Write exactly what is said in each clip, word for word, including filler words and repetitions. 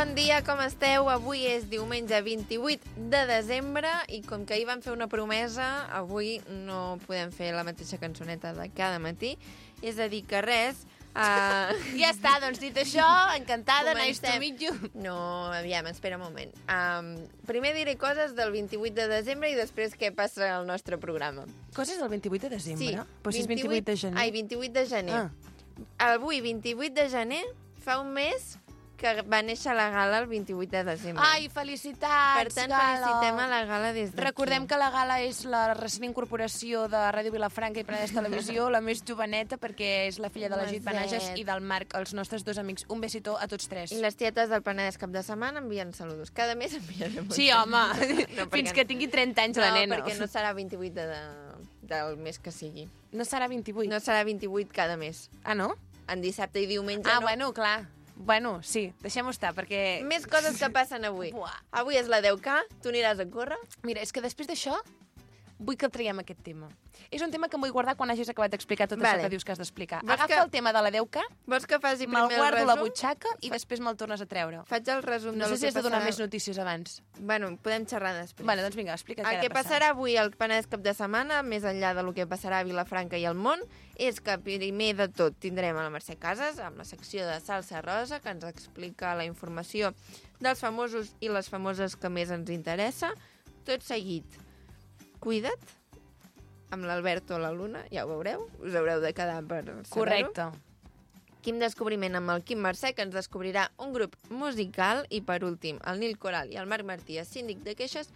bon dia, com esteu? Avui és diumenge vint-i-vuit de desembre i com que ahir vam fer una promesa, avui no podem fer la mateixa cançoneta de cada matí. És a dir, que res... Uh... Ja està, doncs dit això, encantada, nice to meet you. No, aviam, espera un moment. Um, primer diré coses del vint-i-vuit de desembre i després què passa al nostre programa. Coses del vint-i-vuit de desembre? Sí. Però si és vint-i-vuit de gener. Ai, vint-i-vuit de gener. Ah. Avui, vint-i-vuit de gener, fa un mes que va néixer la Gala el vint-i-vuit de desembre. Ai, felicitats, Per tant, Gala. felicitem a la Gala des d'aquí. Recordem que la Gala és la recent incorporació de Ràdio Vilafranca i Penedès Televisió, la més joveneta, perquè és la filla de la Git Benages i del Marc, els nostres dos amics. Un besito a tots tres. I les tietes del Penedès cap de setmana envien saludos. Cada mes enviarem un Sí, home, no, fins que tingui trenta anys no, la nena. No, perquè no serà vint-i-vuit de, de, del mes que sigui. No serà vint-i-vuit? No serà vint-i-vuit cada mes. Ah, no? En dissabte i diumenge ah, no. Ah, bueno, clar. Bueno, sí, deixem-ho estar, perquè... Més coses que passen avui. Buah. Avui és la deu K, tu aniràs a córrer? Mira, és que després d'això vull que el traiem aquest tema. És un tema que em vull guardar quan hagis acabat d'explicar tot vale. això que dius que has d'explicar. Vols Agafa que... el tema de la deu K, vols que faci primer me'l el resum? guardo a la butxaca i després me'l tornes a treure. Faig el resum no de sé si has de passarà... donar més notícies abans. Bueno, podem xerrar després. Vale, doncs vinga, explica què el ha de que passar. passarà avui al Penedès cap de setmana, més enllà del que passarà a Vilafranca i al món, és que primer de tot tindrem a la Mercè Casas amb la secció de Salsa Rosa, que ens explica la informació dels famosos i les famoses que més ens interessa. Tot seguit, cuida't, amb l'Alberto o la Luna, ja ho veureu, us haureu de quedar per saber-ho. Correcte. Quim Descobriment amb el Quim Mercè, que ens descobrirà un grup musical, i per últim, el Nil Coral i el Marc Martí, síndic de queixes,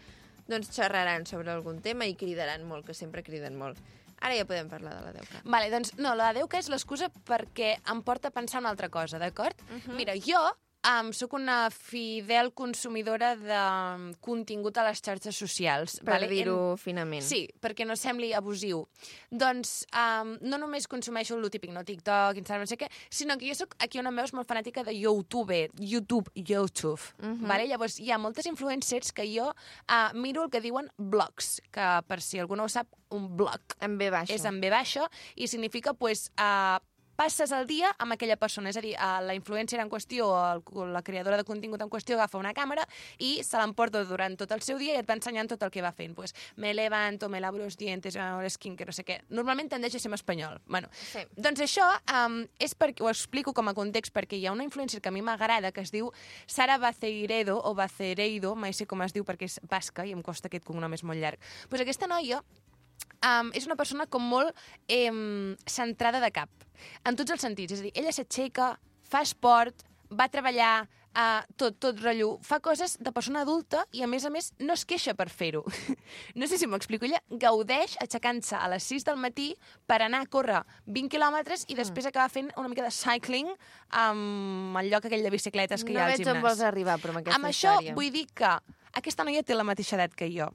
doncs xerraran sobre algun tema i cridaran molt, que sempre criden molt. Ara ja podem parlar de la deu K. Vale, doncs no, la deu K és l'excusa perquè em porta a pensar una altra cosa, d'acord? Uh -huh. Mira, jo um, sóc una fidel consumidora de contingut a les xarxes socials. Per vale? dir-ho en... finament. Sí, perquè no sembli abusiu. Doncs um, no només consumeixo el típic, no TikTok, Instagram, no sé què, sinó que jo sóc aquí on em veus molt fanàtica de YouTube, YouTube, YouTube. Uh -huh. Vale? Llavors, hi ha moltes influencers que jo uh, miro el que diuen blogs, que per si algú no ho sap, un blog En ve baixa. és en ve baixa i significa, pues, uh, passes el dia amb aquella persona. És a dir, uh, la influencer en qüestió, el, la creadora de contingut en qüestió, agafa una càmera i se l'emporta durant tot el seu dia i et va ensenyant tot el que va fent. Pues, me levanto, me lavo los dientes, el skincare, no sé què. Normalment tendeix a ser en espanyol. Bueno, sí. Doncs això um, és perquè, ho explico com a context, perquè hi ha una influencer que a mi m'agrada que es diu Sara Baceiredo o Bacereido, mai sé com es diu perquè és basca i em costa aquest cognom, és molt llarg. Pues aquesta noia Um, és una persona com molt eh, centrada de cap, en tots els sentits. És a dir, ella s'aixeca, fa esport, va a treballar, uh, tot, tot rotllo, fa coses de persona adulta i, a més a més, no es queixa per fer-ho. No sé si m'explico. Ella gaudeix aixecant-se a les sis del matí per anar a córrer vint quilòmetres i després mm. acaba fent una mica de cycling amb el lloc aquell de bicicletes que no hi ha al gimnàs. No veig on vols arribar, però amb aquesta amb història. això vull dir que aquesta noia té la mateixa edat que jo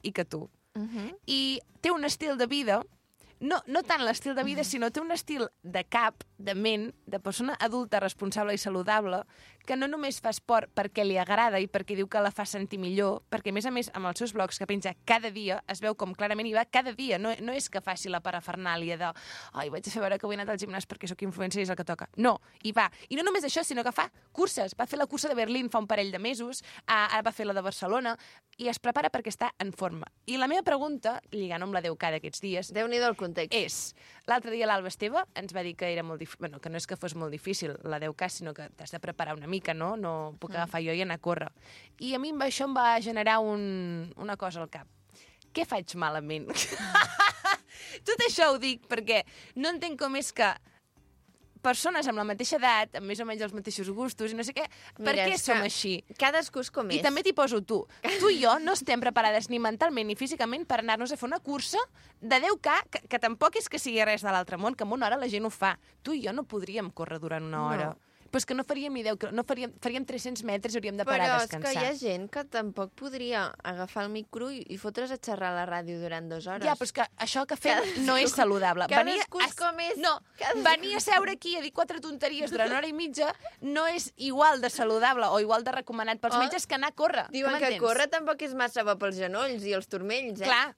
i que tu. Uh -huh. I té un estil de vida, no, no tant l'estil de vida, sinó té un estil de cap, de ment, de persona adulta, responsable i saludable, que no només fa esport perquè li agrada i perquè diu que la fa sentir millor, perquè, a més a més, amb els seus blogs que penja cada dia, es veu com clarament hi va cada dia. No, no és que faci la parafernàlia de ai, vaig a fer veure que avui he anat al gimnàs perquè sóc influencer i és el que toca. No, hi va. I no només això, sinó que fa curses. Va fer la cursa de Berlín fa un parell de mesos, ara va fer la de Barcelona, i es prepara perquè està en forma. I la meva pregunta, lligant amb la deu K d'aquests dies, Déu-n'hi-do el context. és, l'altre dia l'Alba Esteve ens va dir que era molt difícil, bueno, que no és que fos molt difícil la deu K, sinó que t'has de preparar una mica, no? No puc agafar jo i anar a córrer. I a mi això em va generar un, una cosa al cap. Què faig malament? Tot això ho dic perquè no entenc com és que persones amb la mateixa edat, amb més o menys els mateixos gustos i no sé què, per Mira, què és som que així? Cadascú és com és. I també t'hi poso tu. Tu i jo no estem preparades ni mentalment ni físicament per anar-nos a fer una cursa de deu K, que, que tampoc és que sigui res de l'altre món, que en una hora la gent ho fa. Tu i jo no podríem córrer durant una hora. No. Però és que no faríem ni deu, no faríem, faríem tres-cents metres i hauríem de parar Però a és descansar. que hi ha gent que tampoc podria agafar el micro i, i fotre's a xerrar a la ràdio durant dues hores. Ja, però és que això que fem Cadascú- no és saludable. cadascú a, és com és. No, Cadascú- venir a seure aquí a dir quatre tonteries durant una hora i mitja no és igual de saludable o igual de recomanat pels Oh, metges que anar a córrer. Diuen Tu que m'entens? córrer tampoc és massa bo pels genolls i els turmells, eh? Clar,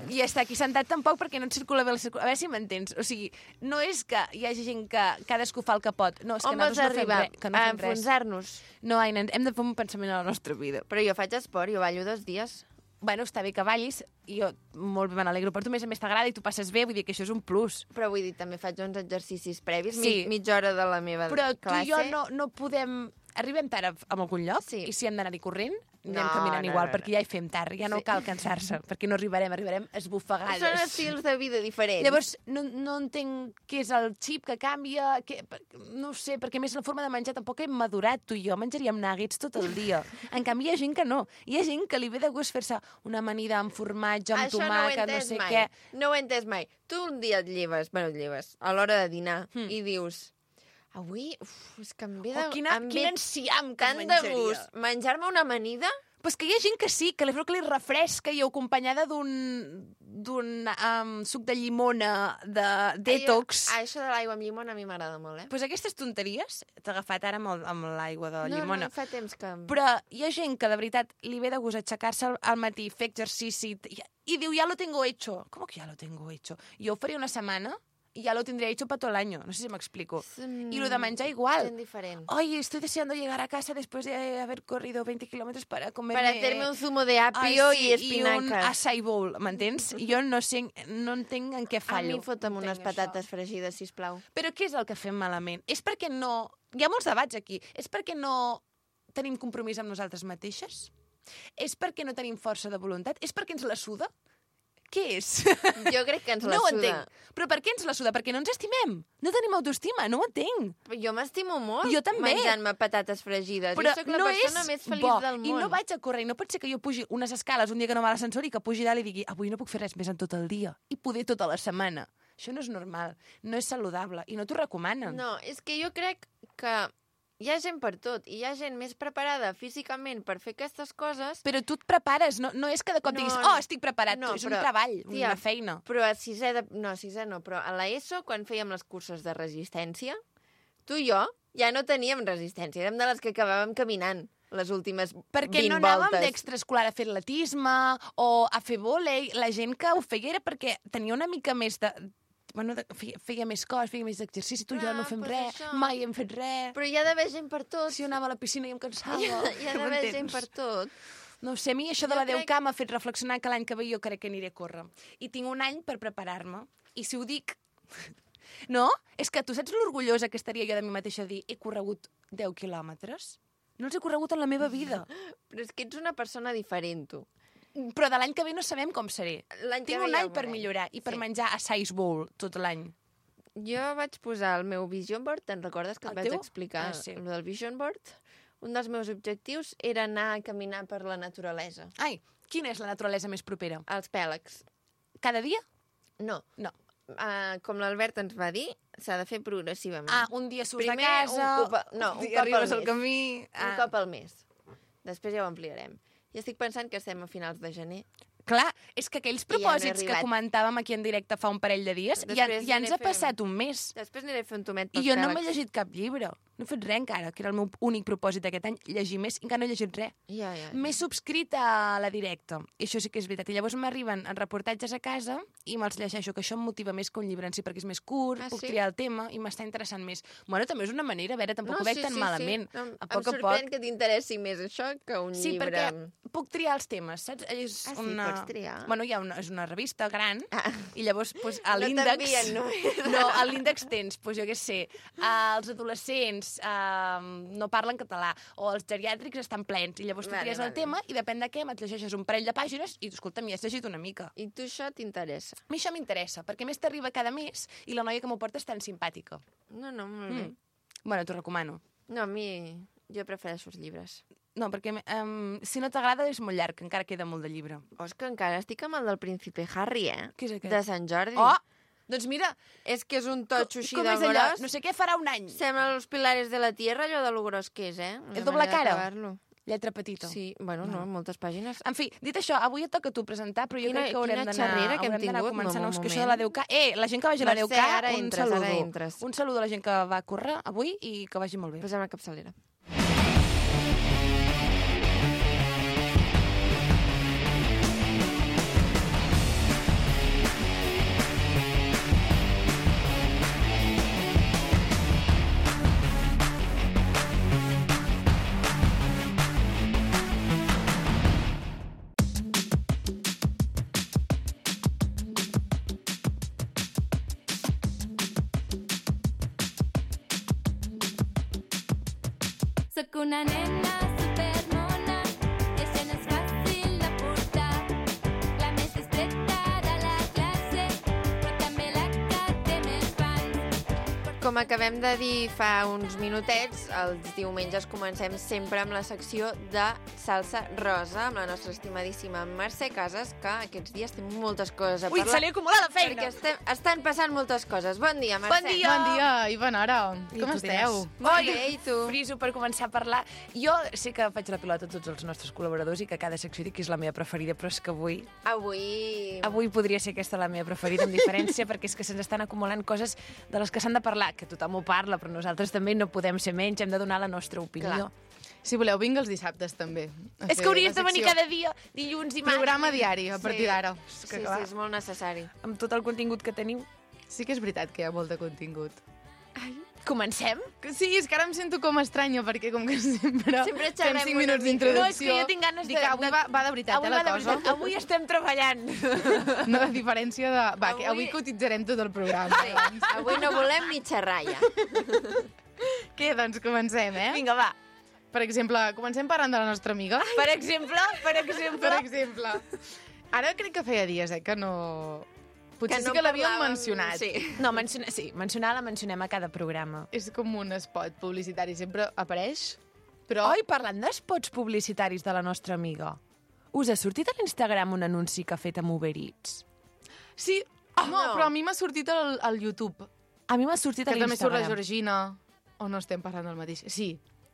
I ja està aquí sentat tampoc perquè no et circula bé la circulació. A veure si m'entens. O sigui, no és que hi hagi gent que cadascú fa el que pot. No, és que On vols nosaltres no fem arribar? res. Que no A fem res. enfonsar-nos. No, Aina, hem de fer un pensament a la nostra vida. Però jo faig esport, jo ballo dos dies. Bueno, està bé que ballis, i jo molt bé me n'alegro per tu, a més a més t'agrada i tu passes bé, vull dir que això és un plus. Però vull dir, també faig uns exercicis previs, Sí. mig, mitja hora de la meva Però tu classe. i jo no, no podem... Arribem tard a algun lloc, Sí. i si hem d'anar-hi corrent, anem No, caminant no, igual, no, perquè ja hi fem tard, ja no Sí. cal cansar-se, perquè no arribarem, arribarem esbufegades. Són estils de vida diferents. Llavors, no, no entenc què és el xip que canvia, que, no ho sé, perquè a més la forma de menjar tampoc hem madurat, tu i jo menjaríem nuggets tot el dia. En canvi, hi ha gent que no. Hi ha gent que li ve de gust fer-se una amanida amb formatge, amb Això tomàquet, no, no sé mai. què. No ho he entès mai. Tu un dia et lleves, bueno, et lleves, a l'hora de dinar, Hmm. i dius... Avui, uf, és que em ve de... Oh, quina, em quin ve enciam que tant de menjaria. gust. Menjar-me una amanida? Però és que hi ha gent que sí, que li fa que li refresca i acompanyada d'un d'un um, suc de llimona de detox. Ai, això de l'aigua amb llimona a mi m'agrada molt, eh? Pues aquestes tonteries t'ha agafat ara amb, el- amb l'aigua de no, llimona. no, fa temps que... Però hi ha gent que de veritat li ve de gust aixecar-se al, al matí, fer exercici i, i diu, ja lo tengo hecho. Com que ja lo tengo hecho? Jo ho faria una setmana y ya lo tendría hecho para todo el año. No sé si me explico. Mm, Y lo de menjar igual. Gent diferent. Ay, estoy deseando llegar a casa después de haber corrido veinte kilómetros para comerme... Para hacerme un zumo de apio Ai, sí, i espinacas. I un açaí bowl, m'entens? Jo no sé, no entenc en què A fallo. mi fota'm No unes entenc patates això. fregides, sisplau. Però què és el que fem malament? És perquè no... Hi ha molts debats aquí. És perquè no tenim compromís amb nosaltres mateixes? És perquè no tenim força de voluntat? És perquè ens la suda? Què és? Jo crec que ens la no ho suda. entenc. Però per què ens la suda? Perquè no ens estimem. No tenim autoestima, no ho entenc. Jo m'estimo molt Jo també. menjant-me patates fregides. Però jo sóc la no persona és més feliç bo. del món. I no vaig a córrer. I no pot ser que jo pugi unes escales un dia que no va a l'ascensor i que pugi dalt i digui avui no puc fer res més en tot el dia. I poder tota la setmana. Això no és normal. No és saludable. I no t'ho recomanen. No, és que jo crec que hi ha gent per tot. I hi ha gent més preparada físicament per fer aquestes coses. Però tu et prepares. No, no és que de cop No, diguis no. oh, estic preparat. No, és però, un treball, tia, una feina. Però a sisè de... No, a sisè no, però a l'ESO, quan fèiem les curses de resistència, tu i jo ja no teníem resistència. Érem de les que acabàvem caminant les últimes Perquè vint no anàvem voltes. d'extraescolar a fer atletisme o a fer vòlei. La gent que ho feia era perquè tenia una mica més de... Bueno, de, feia, feia més cos, feia més exercici. Tu i jo Ah, no fem pues res, això. mai hem fet res. Però hi ha d'haver gent per tot. Si jo anava a la piscina i em cansava. Hi ha, hi ha d'haver m'entens? gent per tot. No ho sé, a mi això de Jo la crec- deu K m'ha fet reflexionar que l'any que ve jo crec que aniré a córrer. I tinc un any per preparar-me. I si ho dic... No? És que tu saps l'orgullosa que estaria jo de mi mateixa a dir he corregut deu quilòmetres? No els he corregut en la meva vida. Però és que ets una persona diferent, tu. Però de l'any que ve no sabem com seré. L'any que Tinc ve un ja any ho per veurem. millorar i per Sí. menjar a size bowl tot l'any. Jo vaig posar el meu vision board, te'n recordes que et El vaig teu? explicar Ah, sí. el del vision board? Un dels meus objectius era anar a caminar per la naturalesa. Ai, quina és la naturalesa més propera? Els pèlegs. Cada dia? No. No. Uh, com l'Albert ens va dir, s'ha de fer progressivament. Ah, un dia surts Primer, de casa, un cop a- no, un dia cop al arribes al mes. camí... Un cop al mes. Després ja ho ampliarem. I estic pensant que estem a finals de gener. Clar, és que aquells I ja no he propòsits que arribat. comentàvem aquí en directe fa un parell de dies, ja, Després ja ens aniré ha fent- passat un mes. Després aniré a fer un tomet I pels jo no m'he pèlegs. llegit cap llibre. No he fet res encara, que era el meu únic propòsit aquest any, llegir més, i encara no he llegit res. Ja, ja, ja. M'he subscrit a la directa, i això sí que és veritat. I llavors m'arriben reportatges a casa i me'ls llegeixo, que això em motiva més que un llibre en si, perquè és més curt, Ah, puc sí? triar el tema i m'està interessant més. Bueno, també és una manera, a veure, tampoc ho veig sí, tan sí, malament. Sí. No, a em poc a sorprèn poc. que t'interessi més això que un Sí, llibre. perquè puc triar els temes, saps? És Ah, sí, una... pots triar. Bueno, hi ha una, és una revista gran, Ah. i llavors pues, a No l'índex... t'envien només. No, a l'índex tens, pues, jo què sé, eh, els adolescents eh, no parlen català, o els geriàtrics estan plens, i llavors tu Vale, tries vale. el tema, i depèn de què, et llegeixes un parell de pàgines, i, escolta, m'hi has llegit una mica. I tu això t'interessa? A mi això m'interessa, perquè a més t'arriba cada mes, i la noia que m'ho porta és tan simpàtica. No, no, molt bé. Mm. Bueno, t'ho recomano. No, a mi... Jo prefereixo els llibres. No, perquè um, si no t'agrada és molt llarg, encara queda molt de llibre. Oh, és que encara estic amb el del príncipe Harry, eh? Què és aquest? De Sant Jordi. Oh! Doncs mira, És que és un totxo així com de és allò? gros. No sé què farà un any. Sembla los pilares de la tierra, allò de lo gros que és, eh? És Una doble manera cara? d'acabar-lo. Lletra petita. Sí, bueno, no, moltes pàgines. En fi, dit això, avui et toca a tu presentar, però jo Quina- crec que haurem quina d'anar xerrera que hem haurem d'anar tingut, començant. no, No, un que això de la moment. deu K... Eh, la gent que vagi a la Mercè, deu K, ara un entres, saludo. ara entres. Un saludo a la gent que va córrer avui i que vagi molt bé. Posem la capçalera. Sóc una nena supermona, i això no és fàcil de portar. La més discreta de la classe, però també la que té més fans. Com acabem de dir fa uns minutets, els diumenges comencem sempre amb la secció de Salsa Rosa, amb la nostra estimadíssima Mercè Casas, que aquests dies té moltes coses a Ui, parlar. se li acumula la feina! Perquè estem, estan passant moltes coses. Bon dia, Mercè. Bon dia! Bon dia i bona hora. I Com tu esteu? diràs. Molt Oi, bé, i tu? Friso per començar a parlar. Jo sé que faig la pilota a tots els nostres col·laboradors i que cada secció dic que és la meva preferida, però és que avui... Avui... Avui podria ser aquesta la meva preferida, amb diferència, perquè és que se'ns estan acumulant coses de les que s'han de parlar, que tothom ho parla, però nosaltres també no podem ser menys, hem de donar la nostra opinió. Clar. Si voleu, vinga els dissabtes també. a És fer que hauries la de venir secció. cada dia, dilluns i març. Programa diari, a partir d'ara. Sí, que sí, clar. és molt necessari. Amb tot el contingut que tenim. Sí que és veritat que hi ha molt de contingut. Comencem? Que Sí, és que ara em sento com estranya, perquè com que sempre, Sempre fem xerrem cinc una minuts mica. d'introducció... No, és que jo tinc ganes Dic de- que avui de- va, va de veritat, Avui, eh, la va de cosa. veritat. Avui estem treballant. No, de diferència de... Va, Avui- que avui cotitzarem tot el programa. Sí, avui no volem ni xerrar ja. Què, doncs comencem, eh? Vinga, va. Per exemple, comencem parlant de la nostra amiga. Per exemple, per exemple... Per exemple. Ara crec que feia dies, eh, que no... Potser Que sí no que l'havíem parlàvem- mencionat. Sí. No, menciona, sí, mencionar la mencionem a cada programa. És com un spot publicitari, sempre apareix, però... Oi, parlant d'espots publicitaris de la nostra amiga, us ha sortit a l'Instagram un anunci que ha fet amb Uber Eats? Sí, Oh, no, no. però a mi m'ha sortit al, al YouTube, A mi m'ha sortit que a també surt la l'Instagram. Georgina, o no estem parlant del mateix? Sí.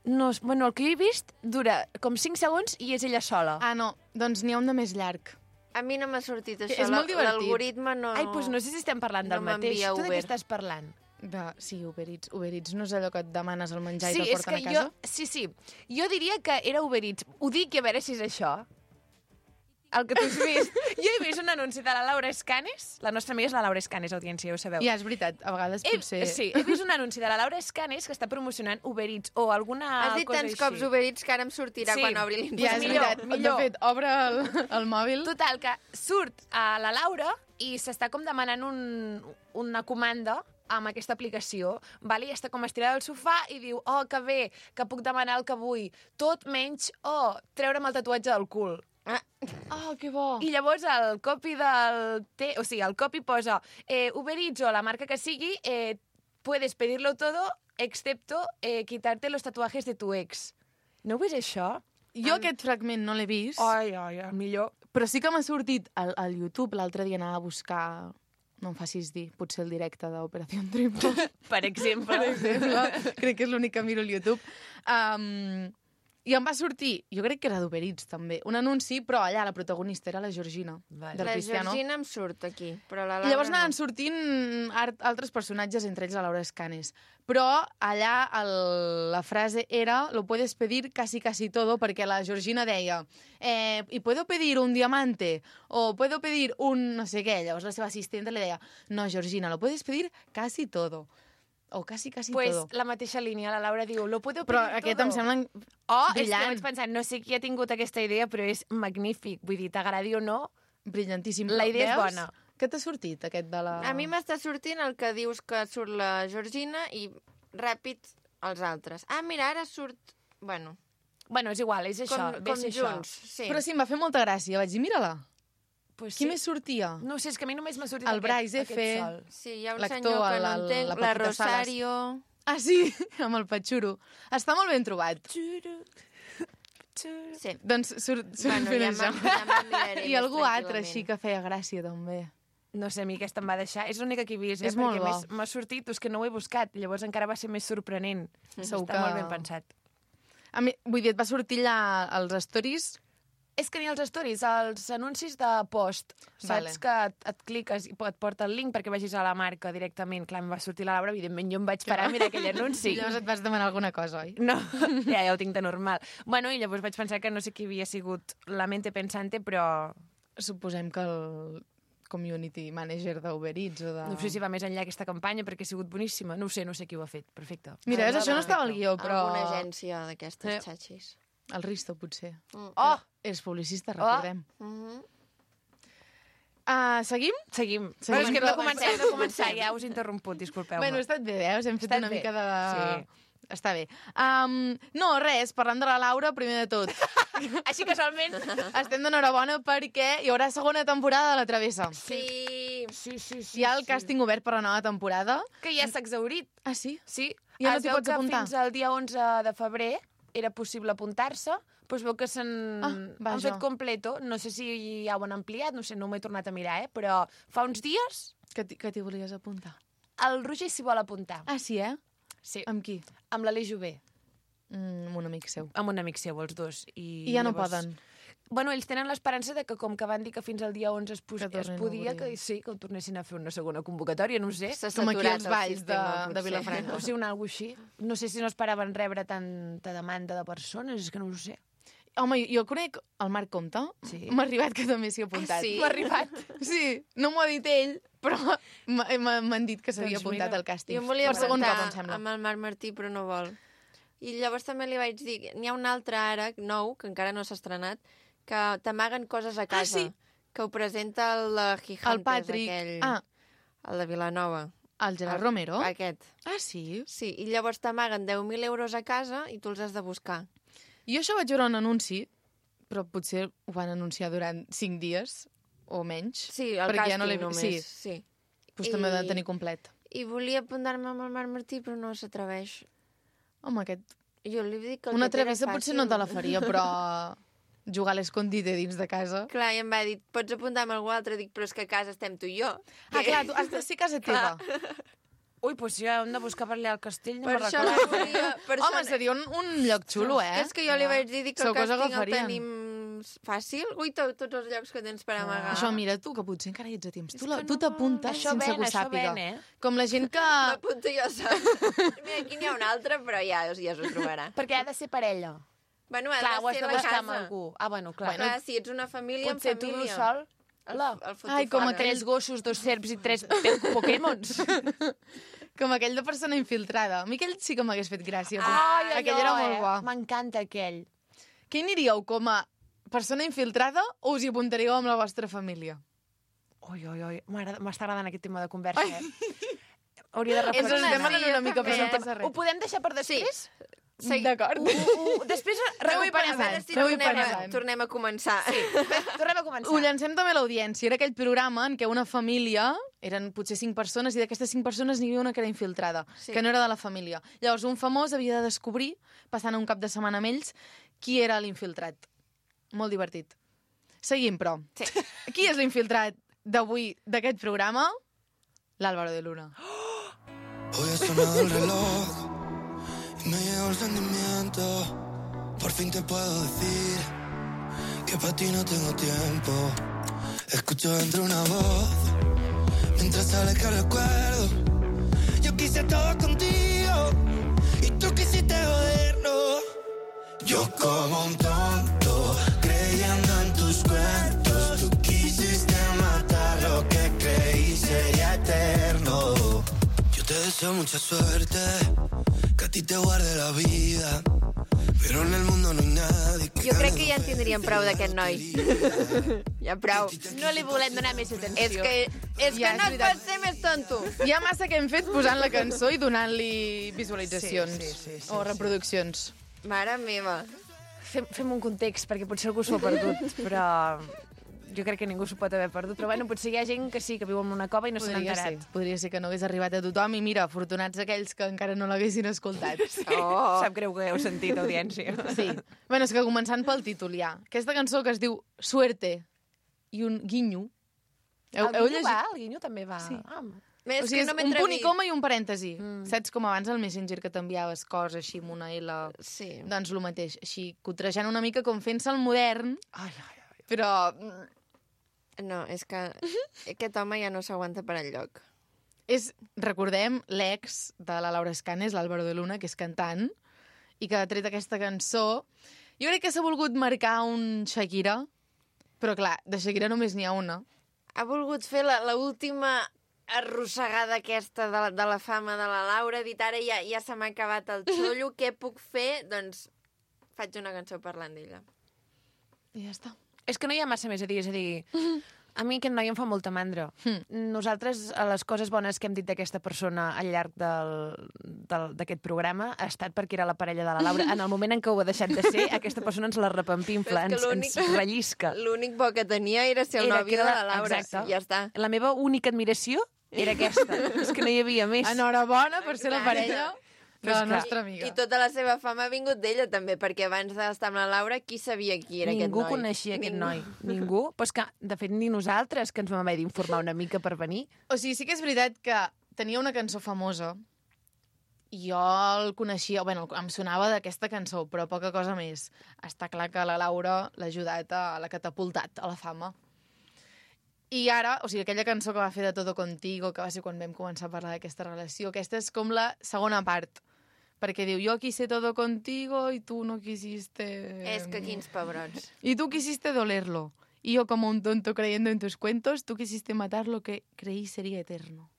No, és- bueno, el que jo he vist dura com cinc segons i és ella sola. Ah, no, doncs n'hi ha un de més llarg. A mi no m'ha sortit Que això. és molt La- divertit. L'algoritme no... Ai, doncs no sé si estem parlant del No mateix. m'envia Tu de Uber. què estàs parlant? De... Sí, Uber Eats. Uber Eats no és allò que et demanes el menjar Sí, i te'l és porten que a casa? jo... Sí, sí. Jo diria que era Uber Eats. Ho dic i a veure si és això. El que tu has vist. Jo he vist un anunci de la Laura Escanes. La nostra amiga és la Laura Escanes, audiència, ja ho sabeu. Ja, és veritat, a vegades He, potser... Sí, he vist un anunci de la Laura Escanes que està promocionant Uber Eats o alguna Has dit cosa tants així. cops Uber Eats que ara em sortirà Sí. quan obri Ja, l'informació. és millor, veritat. millor. De fet, obre el, el mòbil. Total, que surt a la Laura i s'està com demanant un, una comanda amb aquesta aplicació, vale? I està com estirada al sofà i diu, oh, que bé, que puc demanar el que vull, tot menys, oh, treure'm el tatuatge del cul. Ah, Oh, que bo. I llavors el copy del... Te, o sigui, el copy posa eh, Uber Eats o la marca que sigui, eh, puedes pedirlo todo excepto eh, quitarte los tatuajes de tu ex. No ho veus això? Jo aquest fragment no l'he vist, Ai, ai, el millor. però sí que m'ha sortit al, al YouTube. L'altre dia anava a buscar... No em facis dir, potser el directe d'Operació Triunfo. Per exemple. Per exemple, crec que és l'únic que miro al YouTube. Um, I em va sortir, jo crec que era d'Uber Eats també, un anunci, però allà la protagonista era la Georgina, Vale. del la Cristiano. Georgina em surt aquí, però la I Laura llavors anaven no. sortint art, altres personatges, entre ells la Laura Escanes. Però allà el, la frase era lo puedes pedir casi casi todo, perquè la Georgina deia eh, y puedo pedir un diamante o puedo pedir un no sé què. Llavors la seva assistenta li deia no, Georgina, lo puedes pedir casi todo. O casi casi Pues todo. la mateixa línia, la Laura diu, lo puedo Però pedir aquest todo. em sembla Oh, és que brillant. vaig pensant, no sé qui ha tingut aquesta idea, però és magnífic. Vull dir, t'agradi o no, brillantíssim. La idea és Veus? bona. Què t'ha sortit, aquest de la... A mi m'està sortint el que dius que surt la Georgina i ràpid els altres. Ah, mira, ara surt... Bueno, Bueno, és igual, és això, com, ve com ser junts. això. Sí. Però sí, em va fer molta gràcia. Vaig dir, mira-la. Pues Qui sí. més sortia? No ho sé, és que a mi només m'ha sortit El aquest, Bryce aquest F. sol. Sí, hi ha un L'actor, senyor que el- no el- entenc, la la, Paquita Salas. Rosario... Ah, sí? Amb el Patxuro. Està molt ben trobat. Sí. Doncs surt, surt Bueno, fent ja això. me'n ja me'n miraré I més algú altre tranquil·lament. així que feia gràcia, també. No sé, a mi aquesta em va deixar. És l'única que he vist, eh? És molt perquè bo. més m'ha sortit, és que no ho he buscat. Llavors encara va ser més sorprenent. Segur Està que- molt ben pensat. A mi, vull dir, et va sortir allà als stories... És que ni els stories, els anuncis de post, Vale. saps que et, et cliques i et porta el link perquè vagis a la marca directament. Clar, em va sortir la Laura, evidentment jo em vaig parar a mirar aquell anunci. I llavors et vas demanar alguna cosa, oi? No, ja, ja ho tinc de normal. Bueno, i llavors vaig pensar que no sé qui havia sigut la mente pensante, però Suposem que el community manager d'Uber Eats o de... no sé si va més enllà aquesta campanya perquè ha sigut boníssima. No ho sé, no sé qui ho ha fet. Perfecte. Mira, Ah, és, això no perfecte. estava al guió, però... Alguna agència d'aquestes Sí. xatxis. El Risto, potser. Mm. Oh! És publicista, recordem. Mhm. Uh, seguim? Seguim. Seguim. Bueno, és que hem de Comencem, començar, hem de començar. comencem. Ja us he interromput, disculpeu-me. Bueno, ha estat bé, veus? Hem fet Estat una bé. mica de... Sí. està bé. Um, no, res, parlant de la Laura, primer de tot. Així casualment. Estem d'enhorabona perquè hi haurà segona temporada de La Travessa. Sí. Sí, sí, sí. Hi ha el càsting obert per la nova temporada. Que ja s'ha exhaurit. Ah, sí? Sí. Ja no Es t'hi veu pots que apuntar? fins al dia onze de febrer era possible apuntar-se, però es veu que s'han Ah, han vaja. fet completo. No sé si ja ho han ampliat, no sé, no m'he tornat a mirar, eh? Però fa uns dies Que t'hi que t'hi volies apuntar. el Roger s'hi vol apuntar. Ah, sí, eh? Sí. Amb qui? Amb l'Aleix Jové, Mm, amb un amic seu. amb un amic seu, els dos. I, I ja no llavors- poden. Bueno, ells tenen l'esperança de que, com que van dir que fins al dia onze es, pos Que es tornin a podia, obrir. que sí, que ho tornessin a fer una segona convocatòria, no ho sé. S'ha Com aquí saturat els el balls sistema, de- de potser. Vilafranca. O sigui, una alguna així. No sé si no esperaven rebre tanta demanda de persones, és que no ho sé. Home, jo conec el Marc Comte. Sí. M'ha arribat que també s'hi ha apuntat. Ah, sí? M'ha arribat. Sí, no m'ho ha dit ell, però m'ha- m'ha- m'han dit que s'havia Doncs apuntat mira, al càsting. Jo em volia per segon cop, em apuntar sembla. amb el Marc Martí, però no vol. I llavors també li vaig dir, n'hi ha un altre ara, nou, que encara no s'ha estrenat, que t'amaguen coses a casa. sí. Que ho presenta el de Gigantes, El Patrick. aquell. Ah, El de Vilanova. el Gerard Romero. Aquest. Ah, sí? Sí, i llavors t'amaguen deu mil euros a casa i tu els has de buscar. Jo això vaig veure un anunci, però potser ho van anunciar durant cinc dies o menys. Sí, el perquè càsting ja no l'he- només. sí. sí. Doncs també ho I- de tenir complet. I volia apuntar-me amb el Marc Martí, però no s'atreveix. Home, aquest... Jo li dic que el Una que té era travessa potser fàcil. no te la faria, però jugar a l'escondite dins de casa... Clar, i em va dir, pots apuntar amb algú altre? Dic, però és que a casa estem tu i jo. Ah, clar, tu has de ser casa teva. Ui, doncs ja hem de buscar per allà al castell, no Per me'n això recordo. no volia... Per Home, això... seria un, un lloc xulo, eh? És que jo li vaig dir dic que el Segur que us càsting el agafarien. tenim fàcil. Ui, to, tots els llocs que tens per amagar. Això, mira tu, que potser encara hi ets a temps. Tu, És la, que tu no- t'apuntes Això sense ven, que ho això sàpiga. ven, eh? Com la gent que... M'apunto jo sol. Mira, aquí n'hi ha un altre, però ja, ja s'ho trobarà. Perquè ha de ser parella. Bueno, ha Clar, ho de has ser de la buscar amb casa. algú. Ah, bueno, clar. Clar, si ets una família, Potser en tu família. vius sol. El, Hola. el Ai, com fotifona. aquell- Tres gossos, dos serps i tres Pokémons. Com aquell de persona infiltrada. A mi aquell sí que m'hagués fet gràcia. Ai, aquell allò, era molt eh? bo. M'encanta aquell. Què hi aniríeu, com a persona infiltrada o us hi apuntaríeu amb la vostra família? Ui, ui, ui. M'agrada- M'està agradant aquest tema de conversa, eh? Hauria de Ens reflexionar. estem anant una mica, però no també. passa res. Ho podem deixar per després? Sí. D'acord. Ho, ho, ho, després Aneu-hi recuperem. pensant. Si Aneu-hi tornem, a, pensant. tornem a començar. Sí. Tornem a començar. Ho llancem també a l'audiència. Era aquell programa en què una família, eren potser cinc persones, i d'aquestes cinc persones n'hi havia una que era infiltrada, Sí. que no era de la família. Llavors, un famós havia de descobrir, passant un cap de setmana amb ells, qui era l'infiltrat. Molt divertit. Seguim, però. Sí. Qui és l'infiltrat d'avui d'aquest programa? L'Álvaro de Luna. Hoy ha sonado el reloj y me llegó el sentimiento. Por fin te puedo decir que para ti no tengo tiempo. Escucho dentro una voz mientras sale que recuerdo. Yo quise todo contigo y tú quisiste joderlo. Yo como un tonto creyendo en tus cuentos. Tú quisiste matar lo que creí sería eterno. Yo te deseo mucha suerte, que a ti te guarde la vida, però en el mundo no hi ha nadie que Jo crec gane que ja en dos tindríem prou d'aquest noi. Ja prou. No li volem donar més atenció. És que, és Ja, que és no et veritat. pots ser més tonto. Hi ha massa que hem fet posant la cançó i donant-li visualitzacions Sí, sí, sí, sí, o reproduccions. Mare meva. Fem, fem un context, perquè potser algú s'ho ha perdut, però jo crec que ningú s'ho pot haver perdut. Però bueno, potser hi ha gent que sí, que viu en una cova i no se n'ha Podria enterat. ser. Podria ser que no hagués arribat a tothom i mira, afortunats aquells que encara no l'haguessin escoltat. Oh. Sap greu que heu sentit, audiència. Sí. Bueno, és que començant pel títol ja. Aquesta cançó que es diu Suerte i un guinyo. Heu, El heu Guinyo llegit? va? El Guinyo també va? Sí. Ah, Més O sigui, que és no un m'he punt i atrevit. coma i un parèntesi. Mm. Saps com abans al Messenger que t'enviaves coses així amb una L? Sí. Doncs el mateix. Així, cotrejant una mica com fent-se el modern, ai, ai, ai. però mm, No, és que aquest home ja no s'aguanta per enlloc. és, recordem, l'ex de la Laura Escanes, l'Álvaro de Luna, que és cantant, i que ha tret aquesta cançó. Jo crec que s'ha volgut marcar un Shakira, però clar, de Shakira només n'hi ha una. Ha volgut fer la, la última arrossegada aquesta de la, de la fama de la Laura, ha dit ara ja, ja se m'ha acabat el xollo, què puc fer? Doncs faig una cançó parlant d'ella. I ja està. És que no hi ha massa més a dir, és a dir, A mi aquest noi em fa molta mandra. Hm. Nosaltres, a les coses bones que hem dit d'aquesta persona al llarg del- del- d'aquest programa ha estat perquè era la parella de la Laura. En el moment en què ho ha deixat de ser, aquesta persona ens la repampinfla, Però és ens, que l'únic- ens rellisca. L'únic bo que tenia era ser el Era nòvio que de era la la- Laura. exacte. Ja està. La meva única admiració era aquesta. És que no hi havia més. Enhorabona per ser la Exacte. parella de Però la és que- nostra amiga. I tota la seva fama ha vingut d'ella, també, perquè abans d'estar amb la Laura, qui sabia qui era Ningú aquest noi? coneixia aquest Ningú. noi. Ningú. Però és que, de fet, ni nosaltres, que ens vam haver d'informar una mica per venir. O sigui, sí que és veritat que tenia una cançó famosa i jo el coneixia, bueno, em sonava d'aquesta cançó, però poca cosa més. Està clar que la Laura l'ha ajudat, a l'ha catapultat a la fama. I ara, o sigui, aquella cançó que va fer de Todo Contigo, que va ser quan vam començar a parlar d'aquesta relació, aquesta és com la segona part, perquè diu, yo quise todo contigo y tú no quisiste... És que quins pebrots. Y tú quisiste dolerlo. Y yo como un tonto creyendo en tus cuentos, tú quisiste matar lo que creí sería eterno.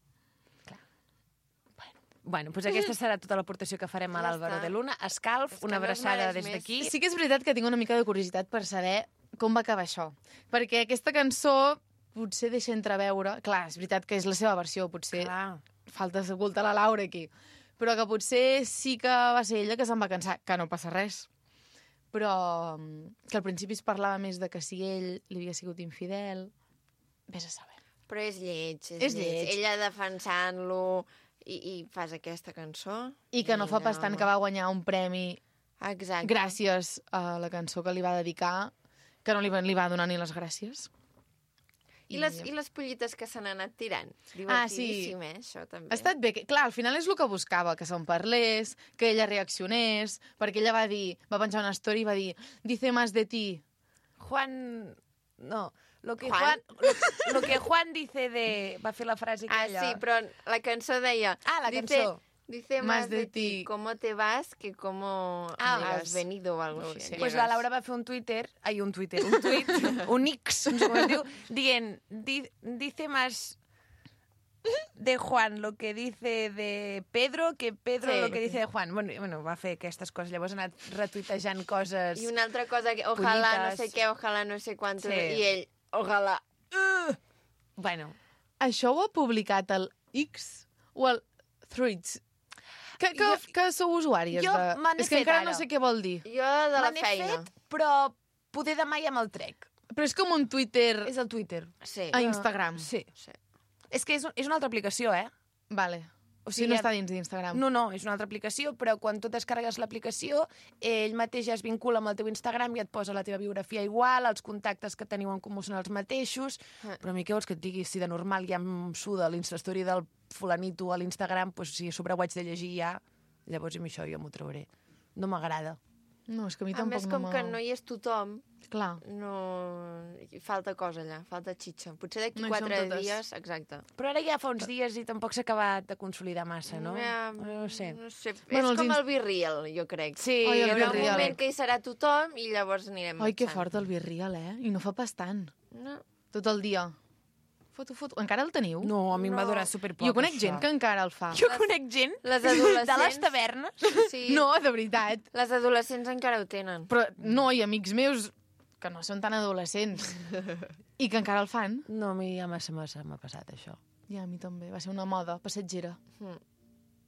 Bueno, doncs aquesta serà tota l'aportació que farem a Ja l'Àlvaro està. de Luna. Escalf, És que una no es abraçada mereix des més. d'aquí. Sí que és veritat que tinc una mica de curiositat per saber com va acabar això. Perquè aquesta cançó potser deixa entreveure... Clar, és veritat que és la seva versió, potser Clar. falta escoltar la Laura aquí. Però que potser sí que va ser ella que se'n va cansar, que no passa res. Però mm, que al principi es parlava més de que si ell li havia sigut infidel... Vés a saber. Però és lleig, és, És lleig. Ella defensant-lo i, i fas aquesta cançó. I que no fa pas tant que va guanyar un premi Exacte. gràcies a la cançó que li va dedicar, que no li va, li va donar ni les gràcies. I les, I les pollites que se n'han anat tirant. Ah, sí. Divertidíssim, eh, això també. Ha estat bé. Que, clar, al final és el que buscava, que se'n parlés, que ella reaccionés, perquè ella va dir, va penjar una story i va dir dice más de ti. Juan... No, lo que Juan? Juan, lo, lo que Juan dice de... Va fer la frase Ah, aquella. sí, però la cançó deia... Ah, la dice, cançó. Dice Más más de de ti, ti. cómo te vas que cómo Ah, has venido o algo No, així. sí. Pues la Laura va fer un Twitter, ai, un Twitter, un tuit, un X, no sé com es diu, dient, di, dice más de Juan lo que dice de Pedro que Pedro Sí. lo que dice de Juan. Bueno, bueno, va fer aquestes coses, llavors ha anat retuitejant coses... I una altra cosa, que ojalà no Pollites. sé què, ojalà no sé quantos, Sí. i ell, ojalà. Bueno, Això ho ha publicat el X o el Threads? Que, que, Jo- que sou usuàries jo de... me n'he És que fet encara ara. no sé què vol dir. Jo de la me n'he feina. fet, però poder demà ja me'l trec. Però és com un Twitter És el Twitter. Sí. a Instagram. Sí. sí. És que és, és una altra aplicació, eh? Vale. O O sigui, sigui, no ja- està dins d'Instagram. No, no, és una altra aplicació, però quan tu descarregues l'aplicació, ell mateix ja es vincula amb el teu Instagram i et posa la teva biografia igual, els contactes que teniu en comú són els mateixos, Ah. però a mi què vols que et digui? Si de normal ja em suda l'Instastory del fulanito a l'Instagram, doncs si a sobre ho haig de llegir ja, llavors amb això jo m'ho trauré. No m'agrada. No, és que a mi A tampoc més, com no que m'ha- no hi és tothom, Clar. no... hi falta cosa allà, falta xitxa. Potser d'aquí No hi som quatre totes. dies, exacte. Però ara ja fa uns dies i tampoc s'ha acabat de consolidar massa, no? Ja, No ho sé. No sé. Bueno, és els com ins- el Virreal, jo crec. Sí, Ai, el Hi haurà un Virreal. moment que hi serà tothom i llavors anirem Ai, que marxant. fort el Virreal, eh? I no fa pas tant. No. Tot el dia. Foto, foto. Encara el teniu? No, a mi em va No. durar superpoc, Jo conec això. gent que encara el fa. Jo conec gent Les de adolescents... les tavernes. Sí. No, de veritat. Les adolescents encara ho tenen. Però no, i amics meus que no són tan adolescents i que encara el fan. No, a mi ja massa massa m'ha passat, això. Ja, a mi també. Va ser una moda passatgera.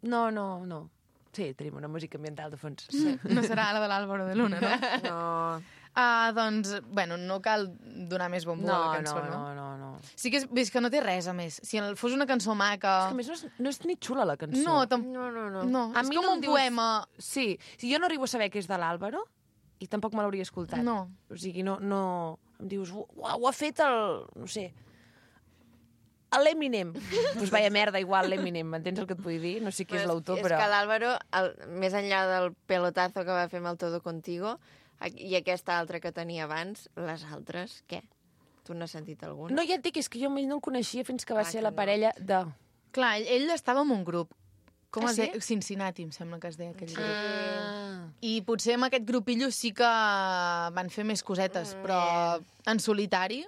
No, no, no. Sí, tenim una música ambiental de fons. Sí. No serà la de l'Àlvaro de Luna, no? No. Ah, doncs, bueno, no cal donar més bombo No, a la cançó, no, no? no, no, no. Sí que és, és que no té res, a més. Si el- fos una cançó maca... És que a més no és, no és ni xula, la cançó. No, tam... No, no, no. no. A és mi com no em un dius- poema... Sí, si jo no arribo a saber que és de l'Àlvaro, i tampoc me l'hauria escoltat. No. O sigui, no, no... Em dius, uau, ho ha fet el... no sé... l'Eminem. Doncs pues vaya merda, igual, l'Eminem. M'entens el que et vull dir? No sé qui és l'autor, és però... És que l'Àlvaro, el- més enllà del pelotazo que va fer amb el Todo Contigo, a- i aquesta altra que tenia abans, les altres, què? Tu n'has sentit alguna? No, ja et dic, és que jo no el coneixia fins que va Ah, ser que la no. parella de... Clar, ell, ell estava en un grup. Com Ah, es sí? deia? Cincinnati, em sembla que es deia aquell grup. Ah. I potser amb aquest grupillo sí que van fer més cosetes, Mm, però en solitari...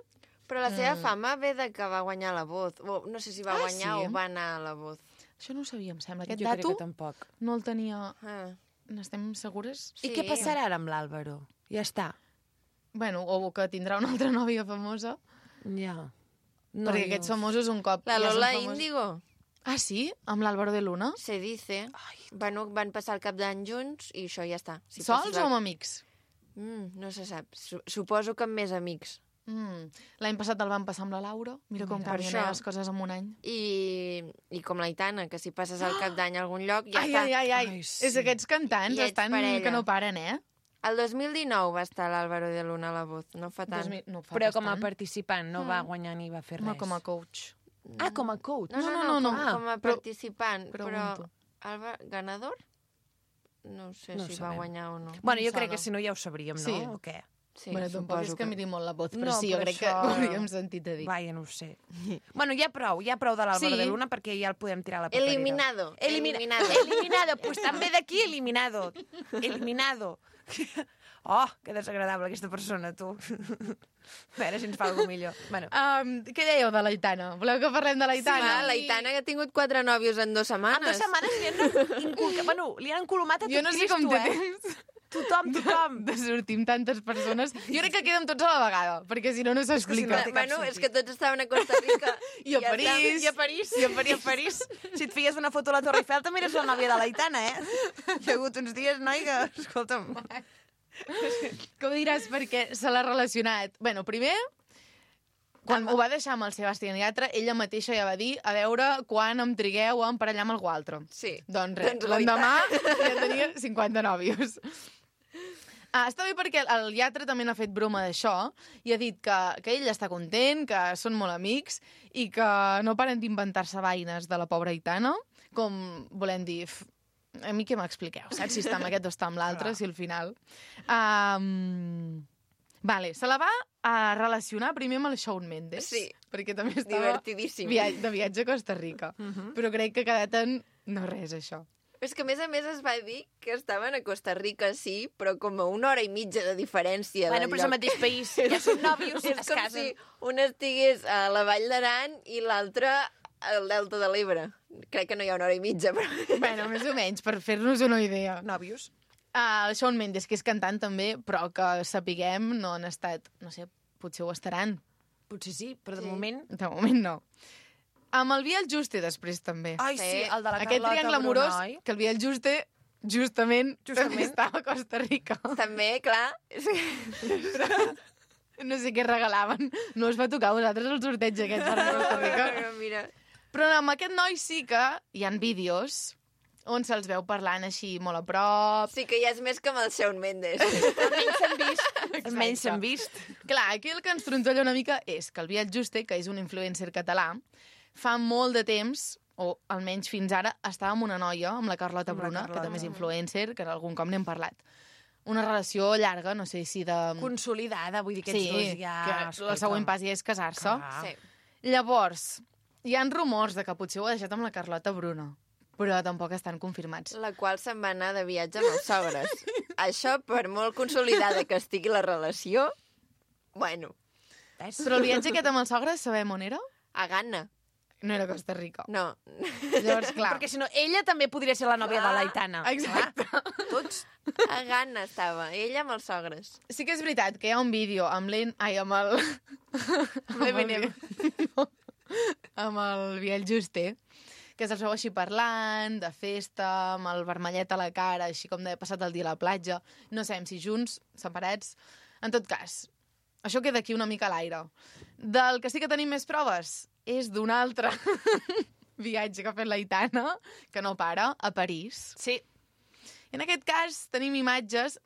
Però la seva fama ve de que va guanyar la Voz. O, no sé si va Ah, guanyar sí? o va anar a la Voz. Això no ho sabia, em sembla. Aquest Jo crec dato que tampoc. no el tenia... Ah. N'estem segures? I què passarà ara amb l'Àlvaro? Ja està. Bueno, o que tindrà una altra nòvia famosa. Ja. No, perquè jo- aquests famosos un cop... La ja són Lola famosos- Índigo, Ah, sí? Amb l'Álvaro de Luna? se dice. Bueno, van passar el cap d'any junts i això ja està. Si Sols passes o el- amb amics? Mm, no se sap. Su suposo que amb més amics. Mm. L'any passat el van passar amb la Laura. Mira com Per canvien això. eh, les coses en un any. I, i com l'Aitana, que si passes el cap d'any a algun lloc, ja ai, està. ai, ai, ai, Ai, sí. És aquests cantants I ets estan parella. que no paren, eh? El dos mil dinou va estar l'Álvaro de Luna a la Voz, no fa tant. Dos mil- no fa Però com a bastant. participant, no va guanyar ni va fer res. No, com a coach. Ah, com a coach. No, no, No, no, no, no, com, no. com a Però- participant. Però, pregunto. Alba, ganador? No sé No si sabem. va guanyar o no. Bueno, jo Em crec que sona. si no ja ho sabríem, no? Sí. O què? Sí, bueno, tampoc és suposo que miri molt la voz, però No, sí, jo però crec que això- ho hauríem sentit a dir. Vaja, no ho sé. Bueno, ja prou, ja prou de l'Àlvaro Sí. de Luna perquè ja el podem tirar a la paperera. Eliminado. Elimina Eliminado. eliminado. Pues també d'aquí eliminado. Eliminado. Oh, que desagradable aquesta persona, tu. A veure si ens fa alguna millor. Bueno, Um, què dèieu de l'Aitana? Voleu que parlem de Sí, l'Aitana? va, l'Aitana que ha tingut quatre nòvios en dues setmanes. en dues setmanes li han inculcat... Bueno, li han encolomat a tot Jo no sé Cristo, com té eh? temps Tothom, tothom. de sortir amb tantes persones. Jo crec que queden tots a la vegada, perquè si no, no si no s'explica. té cap Bueno, sentit. és que tots estaven a Costa Rica. I a ja París. està. I a París. I a París. I a París. Si et feies una foto a la Torre Eiffel, també eres la nòvia de l'Aitana, eh? Hi ha hagut uns dies, noi, que... Escolta'm. Que ho diràs perquè se l'ha relacionat. Bueno, primer, quan ho va deixar amb el Sebastián Yatra, ella mateixa ja va dir a veure quan em trigueu a emparellar amb algú altre. Sí. Doncs res, Doncs l'endemà ja tenia cinquanta nòvios. Ah, està bé perquè el Yatra també n'ha fet broma d'això i ha dit que, que ell està content, que són molt amics i que no paren d'inventar-se vaines de la pobra Aitana, com volem dir... f- A mi què m'expliqueu, saps? Si està amb aquest o està amb l'altre, si al final... Um... Vale, se la va a relacionar primer amb el Shawn Mendes. Sí. Perquè també estava Divertidíssim. via de viatge a Costa Rica. Uh -huh. Però crec que ha quedat en... No res, això. És que, a més a més, es va dir que estaven a Costa Rica, sí, però com a una hora i mitja de diferència Bueno, del però és el lloc. mateix país. Ja són nòvios, És es com casen. si un estigués a la Vall d'Aran i l'altre al Delta de l'Ebre. Crec que no hi ha una hora i mitja, però... Bueno, més o menys, per fer-nos una idea. Nòvios. Uh, el Shawn Mendes, que és cantant també, però que sapiguem no han estat... No sé, potser ho estaran. Potser sí, però de Sí. moment... De moment no. Amb el Biel Juste després també. Ai, sí, Sí. el de la Aquest Carlota triangle amorós, Bruna, oi? que el Biel Juste justament, Justament. també estava a Costa Rica. També, clar... és que- No sé què regalaven. No us va tocar a vosaltres el sorteig aquest per anar a Costa Rica. Mira, Però amb aquest noi sí que hi han vídeos on se'ls veu parlant així molt a prop. sí que ja és més que amb el Shawn Mendes. Almenys s'han vist. Almenys s'han vist. Clar, aquí el que ens trontolla una mica és que el Biel Juste, que és un influencer català, fa molt de temps, o almenys fins ara, estava amb una noia, amb la Carlota Amb la Bruna, Carlota. que també és influencer, que algun cop n'hem parlat. Una relació llarga, no sé si de... Consolidada, vull dir, aquests sí, dos ja... que el escolta'm. següent pas ja és casar-se. Clar. Sí. Llavors, hi han rumors de que potser ho ha deixat amb la Carlota Bruna, però tampoc estan confirmats. La qual se'n va anar de viatge amb els sogres. Això, per molt consolidada que estigui la relació, bueno, Ves? Però el viatge aquest amb els sogres sabem on era? a Ghana. No era Costa Rica. No. Llavors, clar. Perquè si no, ella també podria ser la nòvia Clar. de l'Aitana. Exacte. Tots. A Ghana estava, ella amb els sogres. Sí que és veritat que hi ha un vídeo amb l'En... Ai, amb el... amb l'Eminem. No, amb el Biel Juste, que se'ls veu així parlant, de festa, amb el vermellet a la cara, així com d'haver passat el dia a la platja. No sabem si junts, separats... En tot cas, això queda aquí una mica a l'aire. Del que sí que tenim més proves és d'un altre viatge que ha fet l'Aitana, que no para, a París. Sí. En aquest cas tenim imatges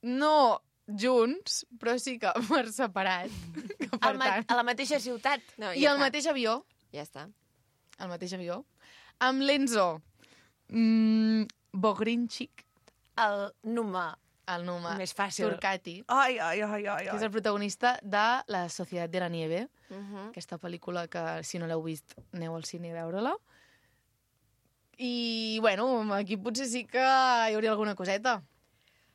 no junts, però sí que per separat. Que, per Al ma tant, a la mateixa ciutat. No, I ja el està. mateix avió, Ja està. el mateix avió, amb l'Enzo mm, Bogrinchik, El Numa. el Numa Més fàcil. Turcati, Ai, ai, ai, ai, que és ai. el protagonista de La Societat de la Nieve, Uh -huh. aquesta pel·lícula que, si no l'heu vist, aneu al cine a veure-la. I, bueno, aquí potser sí que hi hauria alguna coseta.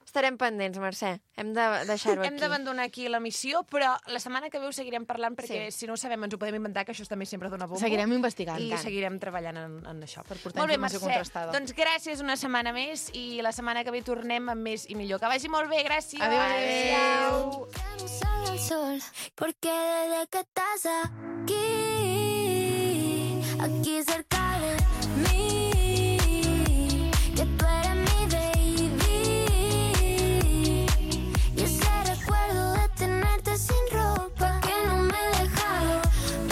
Estarem pendents, Mercè. Hem de deixar-ho Hem aquí. d'abandonar aquí la missió, però la setmana que ve ho seguirem parlant perquè Sí. si no ho sabem ens ho podem inventar, que això també sempre dona bombo. Seguirem investigant. I tant. seguirem treballant en, en això. Per portar Molt bé, informació Mercè. contrastada. Doncs gràcies una setmana més i la setmana que ve tornem amb més i millor. Que vagi molt bé, gràcies. Adéu, adéu. Adéu. Ya no sale el sol, porque desde que estás aquí aquí cerca de mí, que tú eres mi baby. Y ese recuerdo de tenerte sin ropa que no me he dejado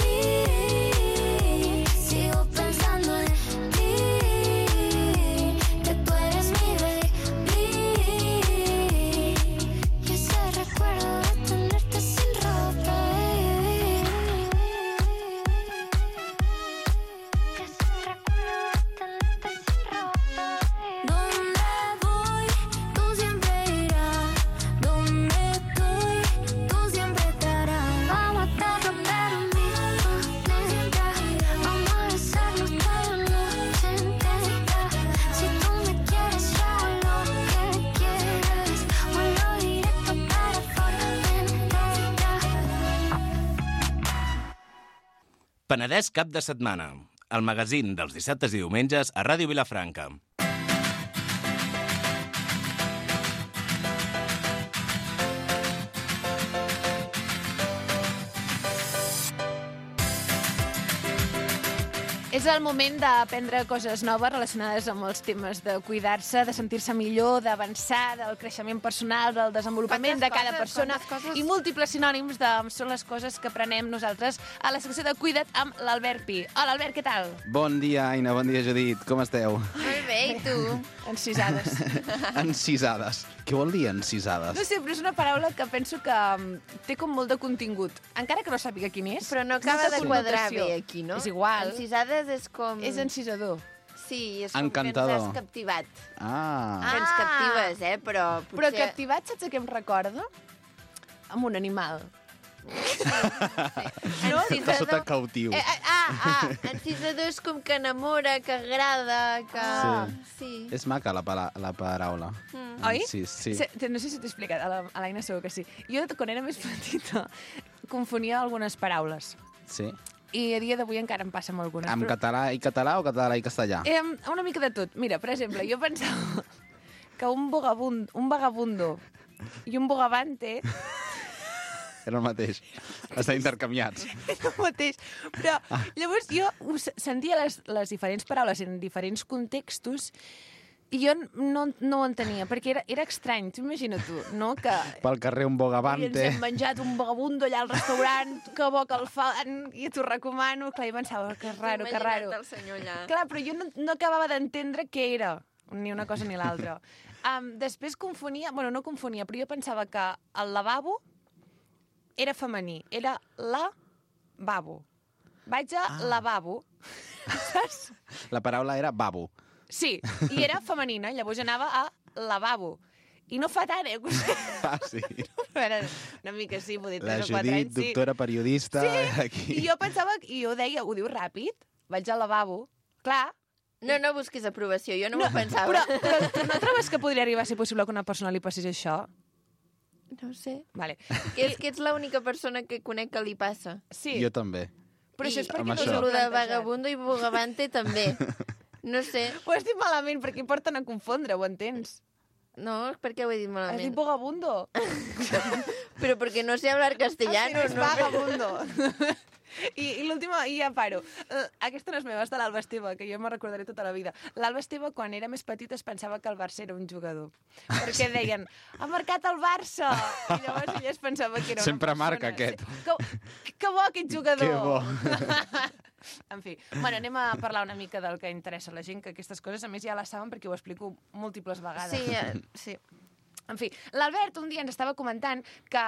ir. Sigo pensando en ti, que tú eres mi baby. Y ese recuerdo de tenerte sin ropa, baby. Que ese recuerdo de tenerte sin ropa, baby. Donde voy, tú siempre irás. Donde estoy, tú siempre estarás. Vamos a estar romper un mismo planeta. Vamos a besarnos toda la noche entera. Si tú me quieres, yo hago lo que quieras. Vuelo directo para Formentera. Penedès cap de setmana. El magazín dels dissabtes i diumenges a Ràdio Vilafranca. És el moment d'aprendre coses noves relacionades amb els temes de cuidar-se, de sentir-se millor, d'avançar, del creixement personal, del desenvolupament Quantes de cada coses, persona quantes coses. i múltiples sinònims de són les coses que aprenem nosaltres a la secció de Cuida't amb l'Albert Pi. Hola, Albert, què tal? Bon dia, Aina, bon dia, Judit. Com esteu? Molt bé, i tu? Encisades. Encisades. Què vol dir No encisades? sé, però és una paraula que penso que um, té com molt de contingut. Encara que no sàpiga quin és. Però no acaba molta de quadrar connotació. bé aquí, no? És igual. Encisades és com... És encisador. Sí, és com Encantador. que ens has captivat. Ah, Que ens captives, eh? Però potser... Però captivat, saps a què em recorda? Amb un animal. No? està sota cautiu. Eh, eh, ah, ah, encisador és com que enamora, que agrada, que... Sí. És maca la, pala la paraula. Mm. Oi? Sí, sí. Se, te- no sé si t'he explicat, a la- a l'Aina segur que sí. Jo, quan era més petita, confonia algunes paraules. Sí. I a dia d'avui encara em passa amb algunes. Amb però- català i català o català i castellà? Eh, una mica de tot. Mira, per exemple, jo pensava que un, vagabund, un vagabundo i un bogavante Era el mateix. Estan intercanviats. és el mateix. Però llavors jo us sentia les, les diferents paraules en diferents contextos i jo no, no ho entenia, perquè era, era estrany. Tu imagina tu, no?, que Pel carrer un i ens bogavante. hem menjat un vagabundo allà al restaurant, que bo que el fan, i t'ho recomano. Clar, i pensava, que raro, que raro. El senyor allà. Clar, però jo no, no acabava d'entendre què era, ni una cosa ni l'altra. Um, després confonia, bueno, no confonia, però jo pensava que el lavabo era femení, era la babo. Vaig a Ah. lavabo, saps? La paraula era babo. Sí, i era femenina, llavors anava a lavabo. I no fa tant, eh? que- Ah, sí. Però era una mica sí, vull dir, La tres o quatre Judit, anys, sí. doctora periodista, aquí. I jo pensava, i jo deia, ho diu ràpid, vaig al lavabo. Clar, No, no busquis aprovació, jo no, m'ho pensava. però, però tu no trobes que podria arribar a ser possible que una persona li passés això? No ho sé. Vale. Que és que ets l'única persona que conec que li passa. Sí, Jo també. però això és I- perquè amb no això. us ho I el heu de plantejat. vagabundo i bogavante també. No sé. Ho has dit malament, perquè porten a confondre, ho entens? No, per què ho he dit Has dit malament? vagabundo. Però perquè no sé hablar castellano. Ah, sí, és no? vagabundo. I, i l'última, i ja paro. Uh, aquesta no és meva, és de l'Alba Esteve, que jo me recordaré tota la vida. L'Alba Esteve, quan era més petita, es pensava que el Barça era un jugador. Perquè deien, ha marcat el Barça! I llavors ella es pensava que era Sempre una persona. marca, aquest. Que, que bo, aquest jugador! Que bo. En fi, bueno, anem a parlar una mica del que interessa a la gent, que aquestes coses, a més, ja les saben perquè ho explico múltiples vegades. Sí, eh, sí. En fi, l'Albert un dia ens estava comentant que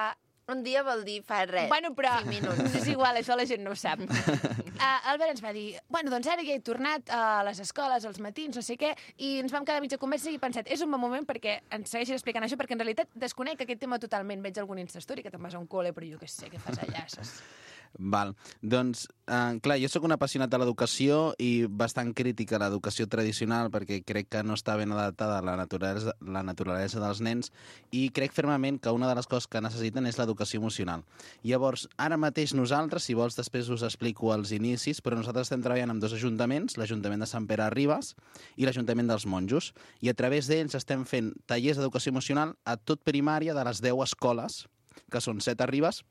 Un dia vol dir fa res. Bueno, però cinc minuts. és igual, això la gent no ho sap. Uh, Albert ens va dir, bueno, doncs ara ja he tornat a les escoles, als matins, no sé què, i ens vam quedar a mitja conversa i he pensat, és un bon moment perquè ens segueixis explicant això, perquè en realitat desconec aquest tema totalment. Veig algun Instastory que te'n vas a un col·le, però jo què sé, què fas allà, saps? Val. Doncs, eh, clar, jo sóc un apassionat de l'educació i bastant crític a l'educació tradicional perquè crec que no està ben adaptada a la naturalesa, la naturalesa dels nens i crec fermament que una de les coses que necessiten és l'educació emocional. Llavors, ara mateix nosaltres, si vols després us explico els inicis, però nosaltres estem treballant amb dos ajuntaments, l'Ajuntament de Sant Pere Ribes i l'Ajuntament dels Monjos, i a través d'ells estem fent tallers d'educació emocional a tot primària de les deu escoles, que són set a Ribes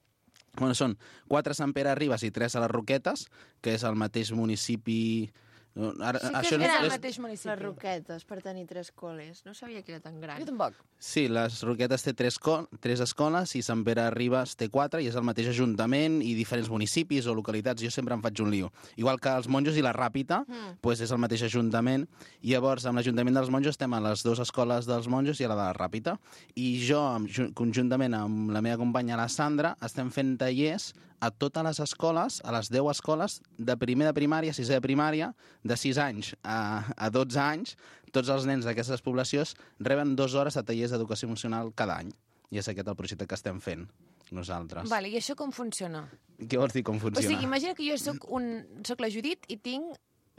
Bueno, són quatre a Sant Pere Ribes i tres a les Roquetes, que és el mateix municipi... No, ara, Sí que això és al és... mateix municipi. Les Roquetes, per tenir tres col·les. No sabia que era tan gran. Jo tampoc. Sí, les Roquetes té tres, co tres escoles i Sant Pere Ribes té quatre i és el mateix ajuntament i diferents municipis o localitats. Jo sempre em faig un lío. Igual que els Monjos i la Ràpita, mm. pues és el mateix ajuntament. I llavors, amb l'Ajuntament dels Monjos estem a les dues escoles dels Monjos i a la de la Ràpita. I jo, amb, conjuntament amb la meva companya, la Sandra, estem fent tallers a totes les escoles, a les deu escoles, de primer de primària, sisè de primària, de sis anys a, a dotze anys, tots els nens d'aquestes poblacions reben dues hores de tallers d'educació emocional cada any. I és aquest el projecte que estem fent nosaltres. Vale, i això com funciona? Què vols dir com O funciona? sigui, imagina que jo soc, un, soc la Judit i tinc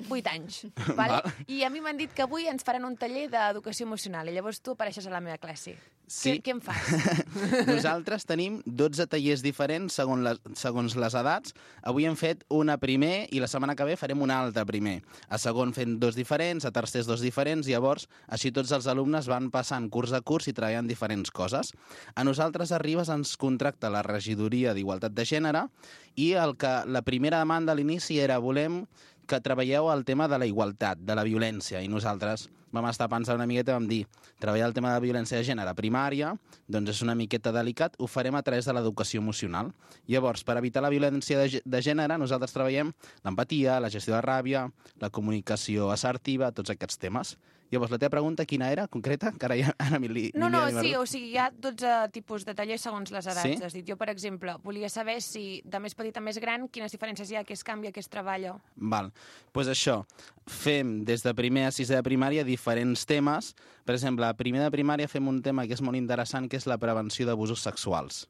vuit anys, vale? Val. I a mi m'han dit que avui ens faran un taller d'educació emocional i llavors tu apareixes a la meva classe. Sí. Què, què em fas? Nosaltres tenim dotze tallers diferents segons les, segons les edats. Avui hem fet una primer i la setmana que ve farem una altra primer. A segon fem dos diferents, a tercers dos diferents, llavors així tots els alumnes van passant curs a curs i treballant diferents coses. A nosaltres a Ribes ens contracta la regidoria d'Igualtat de Gènere i el que la primera demanda a l'inici era volem que treballeu el tema de la igualtat, de la violència, i nosaltres vam estar pensant una miqueta i vam dir treballar el tema de la violència de gènere a primària, doncs és una miqueta delicat, ho farem a través de l'educació emocional. Llavors, per evitar la violència de, de gènere, nosaltres treballem l'empatia, la gestió de ràbia, la comunicació assertiva, tots aquests temes. Llavors, la teva pregunta quina era, concreta? Que ara ja ara mi li, No, ni no, m'hi he sí, perdut. o sigui, hi ha dotze tipus de tallers segons les edats. Sí? Has dit. Jo, per exemple, volia saber si de més petit a més gran, quines diferències hi ha, què es canvia, què es treballa. Val. Pues això, fem des de primer a sisè de primària diferents temes. Per exemple, a primer de primària fem un tema que és molt interessant, que és la prevenció d'abusos sexuals.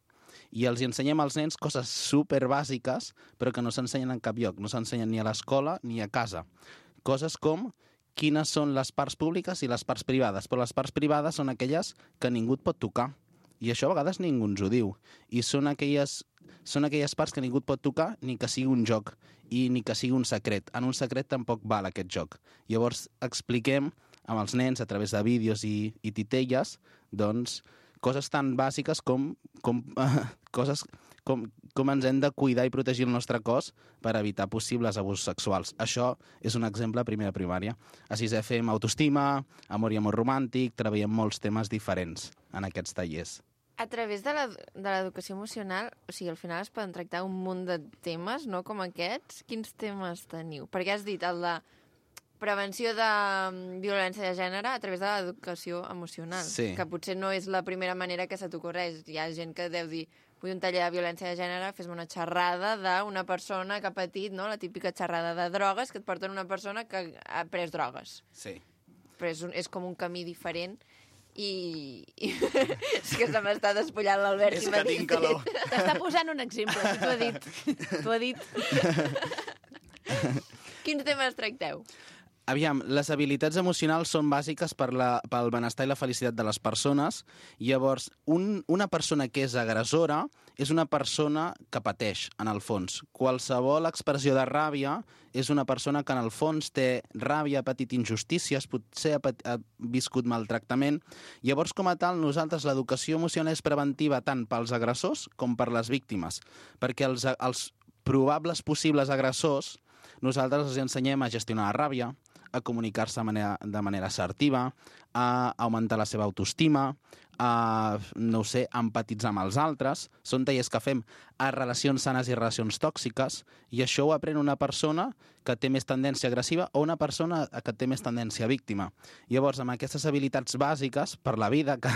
I els hi ensenyem als nens coses super bàsiques, però que no s'ensenyen en cap lloc. No s'ensenyen ni a l'escola ni a casa. Coses com quines són les parts públiques i les parts privades, però les parts privades són aquelles que ningú et pot tocar. I això a vegades ningú ens ho diu. I són aquelles, són aquelles parts que ningú et pot tocar ni que sigui un joc i ni que sigui un secret. En un secret tampoc val aquest joc. Llavors expliquem amb els nens a través de vídeos i, i titelles doncs, coses tan bàsiques com, com, uh, coses com, com ens hem de cuidar i protegir el nostre cos per evitar possibles abusos sexuals. Això és un exemple a primer de primària. A sisè fem autoestima, amor i amor romàntic, treballem molts temes diferents en aquests tallers. A través de l'educació emocional, o sigui, al final es poden tractar un munt de temes, no?, com aquests. Quins temes teniu? Perquè has dit el de prevenció de violència de gènere a través de l'educació emocional, Sí. que potser no és la primera manera que se t'ocorreix. Hi ha gent que deu dir, vull un taller de violència de gènere, fes-me una xerrada d'una persona que ha patit, no?, la típica xerrada de drogues que et porten una persona que ha pres drogues. Sí. Però és, un, és com un camí diferent i... i és que se m'està despullant l'Albert. És i que m'ha dit- tinc calor. T'està posant un exemple, si t'ho ha dit. T'ho ha dit. Quins temes tracteu? Aviam, les habilitats emocionals són bàsiques per la, pel benestar i la felicitat de les persones. Llavors, un, una persona que és agressora és una persona que pateix, en el fons. Qualsevol expressió de ràbia és una persona que, en el fons, té ràbia, ha patit injustícies, potser ha, pat, ha viscut maltractament. Llavors, com a tal, nosaltres l'educació emocional és preventiva tant pels agressors com per les víctimes, perquè els, els probables possibles agressors nosaltres els ensenyem a gestionar la ràbia, a comunicar-se de manera, de manera assertiva, a augmentar la seva autoestima, a, no ho sé, a empatitzar amb els altres. Són tallers que fem a relacions sanes i relacions tòxiques, i això ho aprèn una persona que té més tendència agressiva o una persona que té més tendència víctima. Llavors, amb aquestes habilitats bàsiques per la vida, que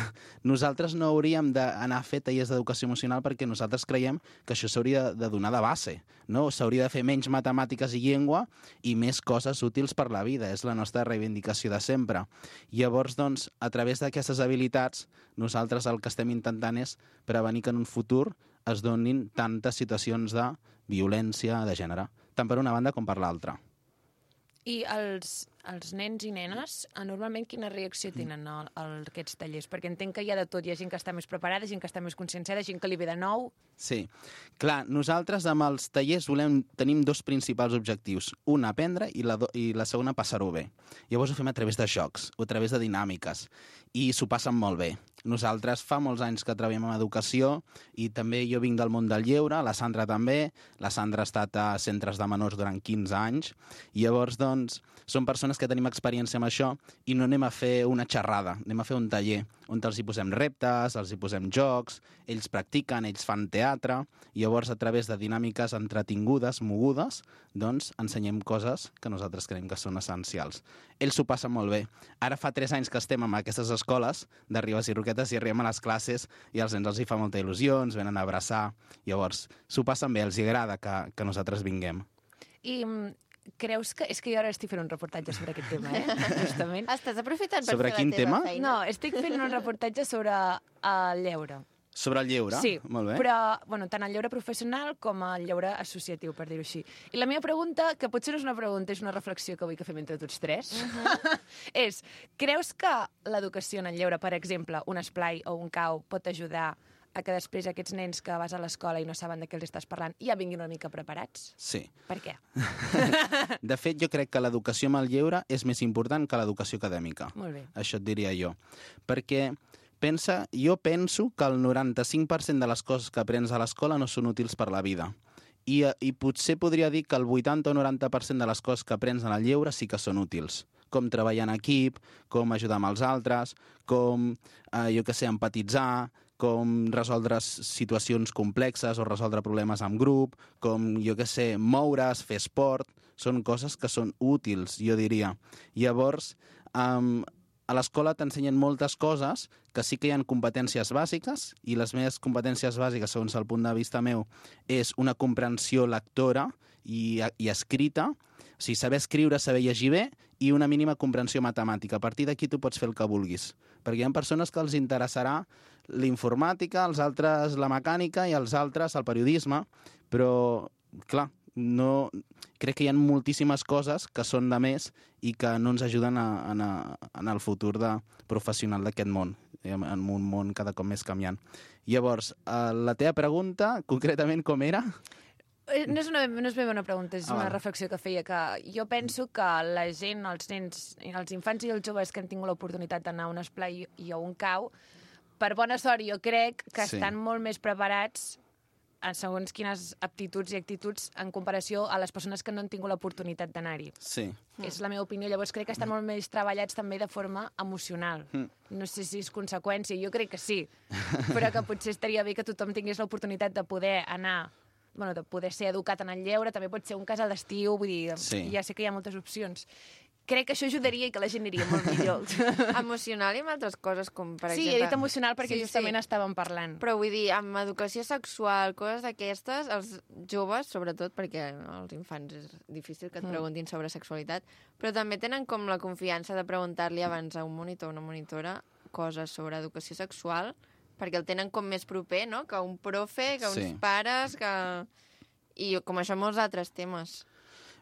nosaltres no hauríem d'anar a fer tallers d'educació emocional perquè nosaltres creiem que això s'hauria de donar de base, no? S'hauria de fer menys matemàtiques i llengua i més coses útils per la vida. És la nostra reivindicació de sempre. Llavors, doncs, a través d'aquestes habilitats, nosaltres el que estem intentant és prevenir que en un futur es donin tantes situacions de violència de gènere, tant per una banda com per l'altra. I els, els nens i nenes, eh, normalment quina reacció tenen a, a aquests tallers? Perquè entenc que hi ha de tot. Hi ha gent que està més preparada, gent que està més conscienciada, gent que li ve de nou. Sí. Clar, nosaltres amb els tallers volem, tenim dos principals objectius. Un, aprendre, i la, do, i la segona, passar-ho bé. Llavors ho fem a través de jocs, o a través de dinàmiques, i s'ho passen molt bé. Nosaltres fa molts anys que treballem en educació i també jo vinc del món del lleure, la Sandra també, la Sandra ha estat a centres de menors durant quinze anys, i llavors, doncs, som persones que tenim experiència amb això i no anem a fer una xerrada, anem a fer un taller on els hi posem reptes, els hi posem jocs, ells practiquen, ells fan teatre, i llavors a través de dinàmiques entretingudes, mogudes, doncs ensenyem coses que nosaltres creiem que són essencials. Ells s'ho passen molt bé. Ara fa tres anys que estem en aquestes escoles de Ribes i Roquetes i arribem a les classes i als nens els hi fa molta il·lusió, ens venen a abraçar, llavors s'ho passen bé, els agrada que, que nosaltres vinguem. I creus que... És que jo ara estic fent un reportatge sobre aquest tema, eh? Justament. Estàs aprofitant per Sobre fer quin la teva tema? feina? No, estic fent un reportatge sobre el lleure. Sobre el lleure? Sí, Molt bé. però bueno, tant el lleure professional com el lleure associatiu, per dir-ho així. I la meva pregunta, que potser no és una pregunta, és una reflexió que vull que fem entre tots tres, uh-huh. és, creus que l'educació en el lleure, per exemple, un esplai o un cau, pot ajudar a que després aquests nens que vas a l'escola i no saben de què els estàs parlant ja vinguin una mica preparats? Sí. Per què? De fet, jo crec que l'educació amb el lleure és més important que l'educació acadèmica. Molt bé. Això et diria jo. Perquè pensa, jo penso que el noranta-cinc per cent de les coses que aprens a l'escola no són útils per la vida. I, I potser podria dir que el vuitanta o noranta per cent de les coses que aprens en el lleure sí que són útils. Com treballar en equip, com ajudar amb els altres, com, eh, jo què sé, empatitzar, com resoldre situacions complexes o resoldre problemes en grup, com, jo què sé, moure's, fer esport. Són coses que són útils, jo diria. Llavors, um, a l'escola t'ensenyen moltes coses que sí que hi ha competències bàsiques, i les meves competències bàsiques, segons el punt de vista meu, és una comprensió lectora i, i escrita, o sigui, saber escriure, saber llegir bé, i una mínima comprensió matemàtica. A partir d'aquí tu pots fer el que vulguis. Perquè hi ha persones que els interessarà l'informàtica, els altres la mecànica i els altres el periodisme, però, clar, no... crec que hi ha moltíssimes coses que són de més i que no ens ajuden a, a, en el futur de professional d'aquest món, en un món cada cop més canviant. Llavors, la teva pregunta, concretament, com era? No és, una, no és ben una pregunta, és Ah, una vale. reflexió que feia, que jo penso que la gent, els nens, els infants i els joves que han tingut l'oportunitat d'anar a un esplai i a un cau, per bona sort jo crec que Sí. estan molt més preparats en segons quines aptituds i actituds en comparació a les persones que no han tingut l'oportunitat d'anar-hi. Sí. És la meva opinió. Llavors crec que estan molt més treballats també de forma emocional. No sé si és conseqüència, jo crec que sí, però que potser estaria bé que tothom tingués l'oportunitat de poder anar, bueno, de poder ser educat en el lleure, també pot ser un casal d'estiu, vull dir, Sí. ja sé que hi ha moltes opcions. Crec que això ajudaria i que la gent aniria molt millor. Emocional i amb altres coses, com per sí, exemple... he dit emocional perquè Sí, justament sí. estàvem parlant. Però vull dir, amb educació sexual, coses d'aquestes, els joves, sobretot, perquè als infants és difícil que et Mm. preguntin sobre sexualitat, però també tenen com la confiança de preguntar-li abans a un monitor o una monitora coses sobre educació sexual, perquè el tenen com més proper, no?, que un profe, que uns Sí. pares, que... I com això molts altres temes.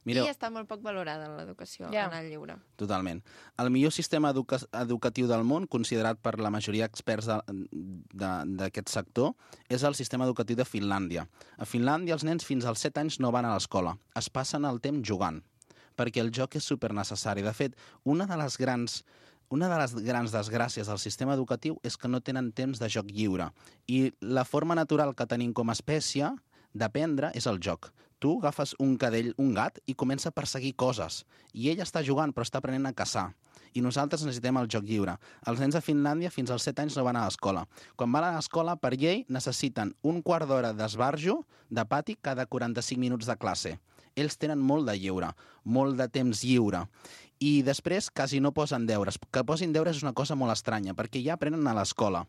Mireu, I està molt poc valorada l'educació Ja. en el lleure. totalment. El millor sistema educa educatiu del món, considerat per la majoria d'experts d'aquest sector, és el sistema educatiu de Finlàndia. A Finlàndia els nens fins als set anys no van a l'escola, es passen el temps jugant, perquè el joc és supernecessari. De fet, una de les grans Una de les grans desgràcies del sistema educatiu és que no tenen temps de joc lliure. I la forma natural que tenim com a espècie d'aprendre és el joc. Tu agafes un cadell, un gat, i comença a perseguir coses. I ell està jugant, però està aprenent a caçar. I nosaltres necessitem el joc lliure. Els nens a Finlàndia fins als set anys no van a l'escola. Quan van a l'escola, per llei, necessiten un quart d'hora d'esbarjo de pati cada quaranta-cinc minuts de classe. Ells tenen molt de lliure, molt de temps lliure. I després quasi no posen deures. Que posin deures és una cosa molt estranya, perquè ja aprenen a l'escola.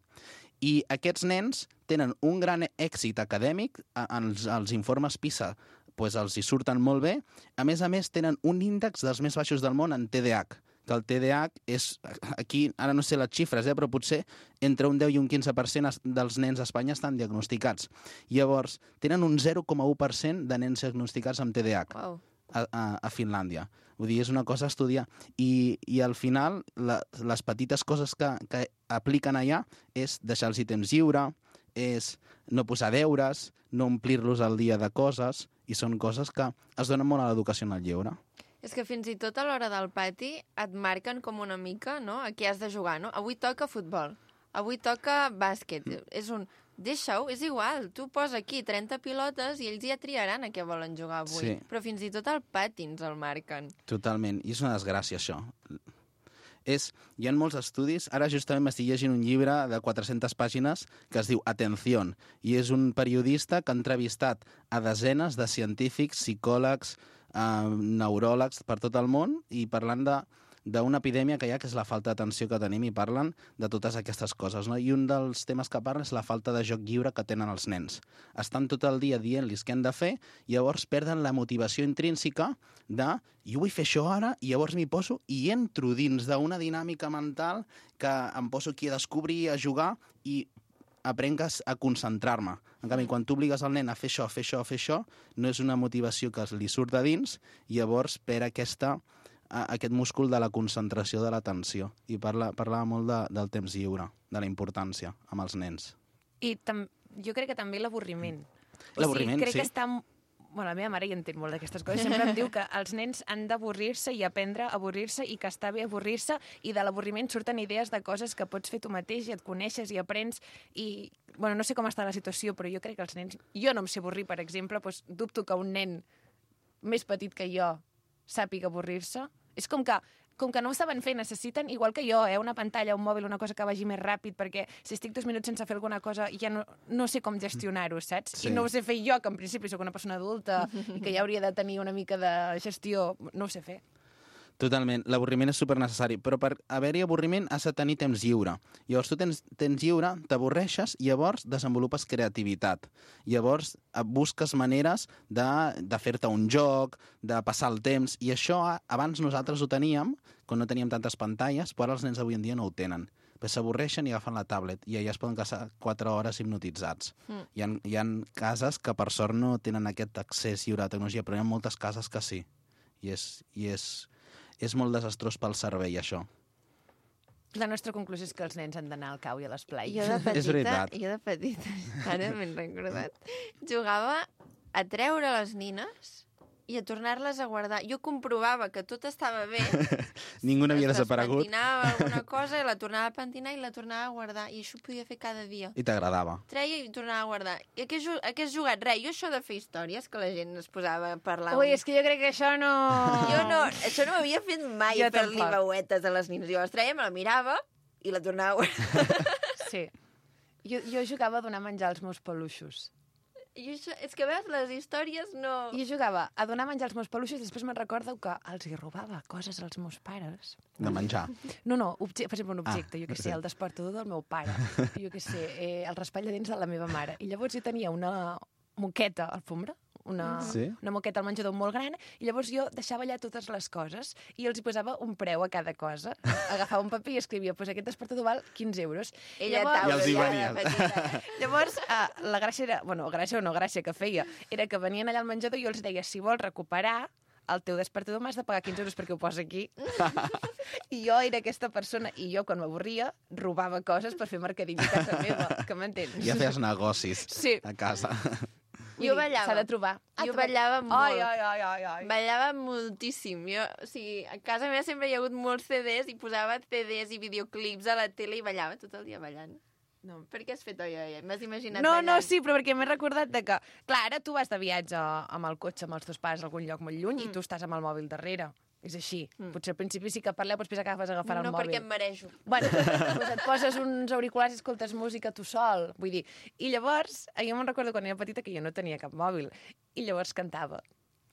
I aquests nens tenen un gran èxit acadèmic, els, els informes PISA pues, els hi surten molt bé. A més a més, tenen un índex dels més baixos del món en T D A H, que el T D A H és, aquí, ara no sé les xifres, eh, però potser entre un deu i un quinze per cent dels nens a Espanya estan diagnosticats. Llavors, tenen un zero coma u per cent de nens diagnosticats amb T D A H. Uau. a, a, a Finlàndia. Vull dir, és una cosa a estudiar. I, i al final, la, les petites coses que, que apliquen allà és deixar-los temps lliure, és no posar deures, no omplir-los al dia de coses, i són coses que es donen molt a l'educació en el lleure. És que fins i tot a l'hora del pati et marquen com una mica, no?, a què has de jugar, no? Avui toca futbol, avui toca bàsquet. Mm. És un... Deixa-ho, és igual. Tu posa aquí trenta pilotes i ells ja triaran a què volen jugar avui. Sí. Però fins i tot al pati ens el marquen. Totalment. I és una desgràcia, això. És, hi ha molts estudis. Ara justament m'estic llegint un llibre de quatre-centes pàgines que es diu Atención, i és un periodista que ha entrevistat a desenes de científics, psicòlegs, eh, neuròlegs per tot el món, i parlant de d'una epidèmia que hi ha, que és la falta d'atenció que tenim, i parlen de totes aquestes coses, no? I un dels temes que parlen és la falta de joc lliure que tenen els nens. Estan tot el dia dient-los què han de fer, i llavors perden la motivació intrínseca de jo vull fer això ara, i llavors m'hi poso i entro dins d'una dinàmica mental que em poso aquí a descobrir, a jugar, i aprenc a concentrar-me. En canvi, quan tu obligues el nen a fer això, a fer això, a fer això, no és una motivació que li surt de dins, i llavors per aquesta aquest múscul de la concentració de l'atenció. I parla, parlava molt de, del temps lliure, de la importància amb els nens. I tam jo crec que també l'avorriment. L'avorriment, o sigui, crec sí. que està... Bueno, la meva mare hi entén molt d'aquestes coses. Sempre em diu que els nens han d'avorrir-se i aprendre a avorrir-se, i que està bé avorrir-se, i de l'avorriment surten idees de coses que pots fer tu mateix i et coneixes i aprens. I, bueno, no sé com està la situació, però jo crec que els nens... Jo no em sé avorrir, per exemple, doncs dubto que un nen més petit que jo sàpiga avorrir-se. És com que, com que no ho saben fer, necessiten, igual que jo, eh, una pantalla, un mòbil, una cosa que vagi més ràpid, perquè si estic dos minuts sense fer alguna cosa ja no, no sé com gestionar-ho, saps? Sí. I no ho sé fer jo, que en principi sóc una persona adulta i que ja hauria de tenir una mica de gestió, no ho sé fer. Totalment. L'avorriment és supernecessari, però per haver-hi avorriment has de tenir temps lliure. Llavors tu tens temps lliure, t'avorreixes, i llavors desenvolupes creativitat. Llavors busques maneres de, de fer-te un joc, de passar el temps, i això abans nosaltres ho teníem, quan no teníem tantes pantalles, però els nens avui en dia no ho tenen. S'avorreixen i agafen la tablet, i allà es poden passar quatre hores hipnotitzats. Mm. Hi ha, hi ha cases que per sort no tenen aquest accés lliure a la tecnologia, però hi ha moltes cases que sí. I és... I és És molt desastrós pel cervell, això. La nostra conclusió és que els nens han d'anar al cau i a l'esplai. Jo de petita, És veritat. jo de petita, ara m'he recordat, jugava a treure les nines i a tornar-les a guardar. Jo comprovava que tot estava bé. Ningú n'havia desaparegut. Es pentinava alguna cosa i la tornava a pentinar i la tornava a guardar. I això ho podia fer cada dia. I t'agradava. Treia i tornava a guardar. I a què, a què has jugat? Res, jo això de fer històries, que la gent es posava a parlar. Ui, és que jo crec que això no... Jo no, això no m'havia fet mai, Jo fer-li tampoc. veuetes a les nines. Jo les treia, me la mirava i la tornava a guardar. Sí. Jo, jo jugava a donar menjar als meus peluixos. I això, és que veus, les històries no... Jo jugava a donar menjar als meus peluixos i després me'n recordo que els hi robava coses als meus pares. De menjar. No, no, obje per exemple, un objecte, Ah, jo què sé, sí. el despertador del meu pare, jo què sé, eh, el raspall de dents de la meva mare. I llavors jo tenia una moqueta alfombra, una, Sí? una moqueta al menjador molt gran, i llavors jo deixava allà totes les coses i els hi posava un preu a cada cosa. Agafava un paper i escrivia, pues aquest despertador val quinze euros. Ella Llavors- taula, I els hi ja de venies. petita. Llavors, uh, la gràcia era... Bueno, gràcia o no gràcia que feia, era que venien allà al menjador i jo els deia, si vols recuperar el teu despertador m'has de pagar quinze euros perquè ho posa aquí. I jo era aquesta persona, i jo, quan m'avorria, robava coses per fer mercadillo a casa meva, que m'entens? Ja feies negocis Sí. a casa. Vull Jo dir, ballava. S'ha de trobar. Jo trobar. ballava molt. Ai, ai, ai, ai, ai. Ballava moltíssim. Jo, o sigui, a casa meva sempre hi ha hagut molts C Ds i posava C Ds i videoclips a la tele i ballava tot el dia ballant. No. Per què has fet oi, oi, oi? M'has imaginat No, ballant? no, sí, però perquè m'he recordat de que... Clar, ara tu vas de viatge amb el cotxe amb els teus pares a algun lloc molt lluny mm. i tu estàs amb el mòbil darrere. És així. Mm. Potser al principi sí que parleu, però després acabes agafant No, el mòbil. perquè em marejo. Bueno, doncs et poses uns auriculars i escoltes música tu sol. Vull dir, i llavors, jo me'n recordo quan era petita que jo no tenia cap mòbil. I llavors cantava.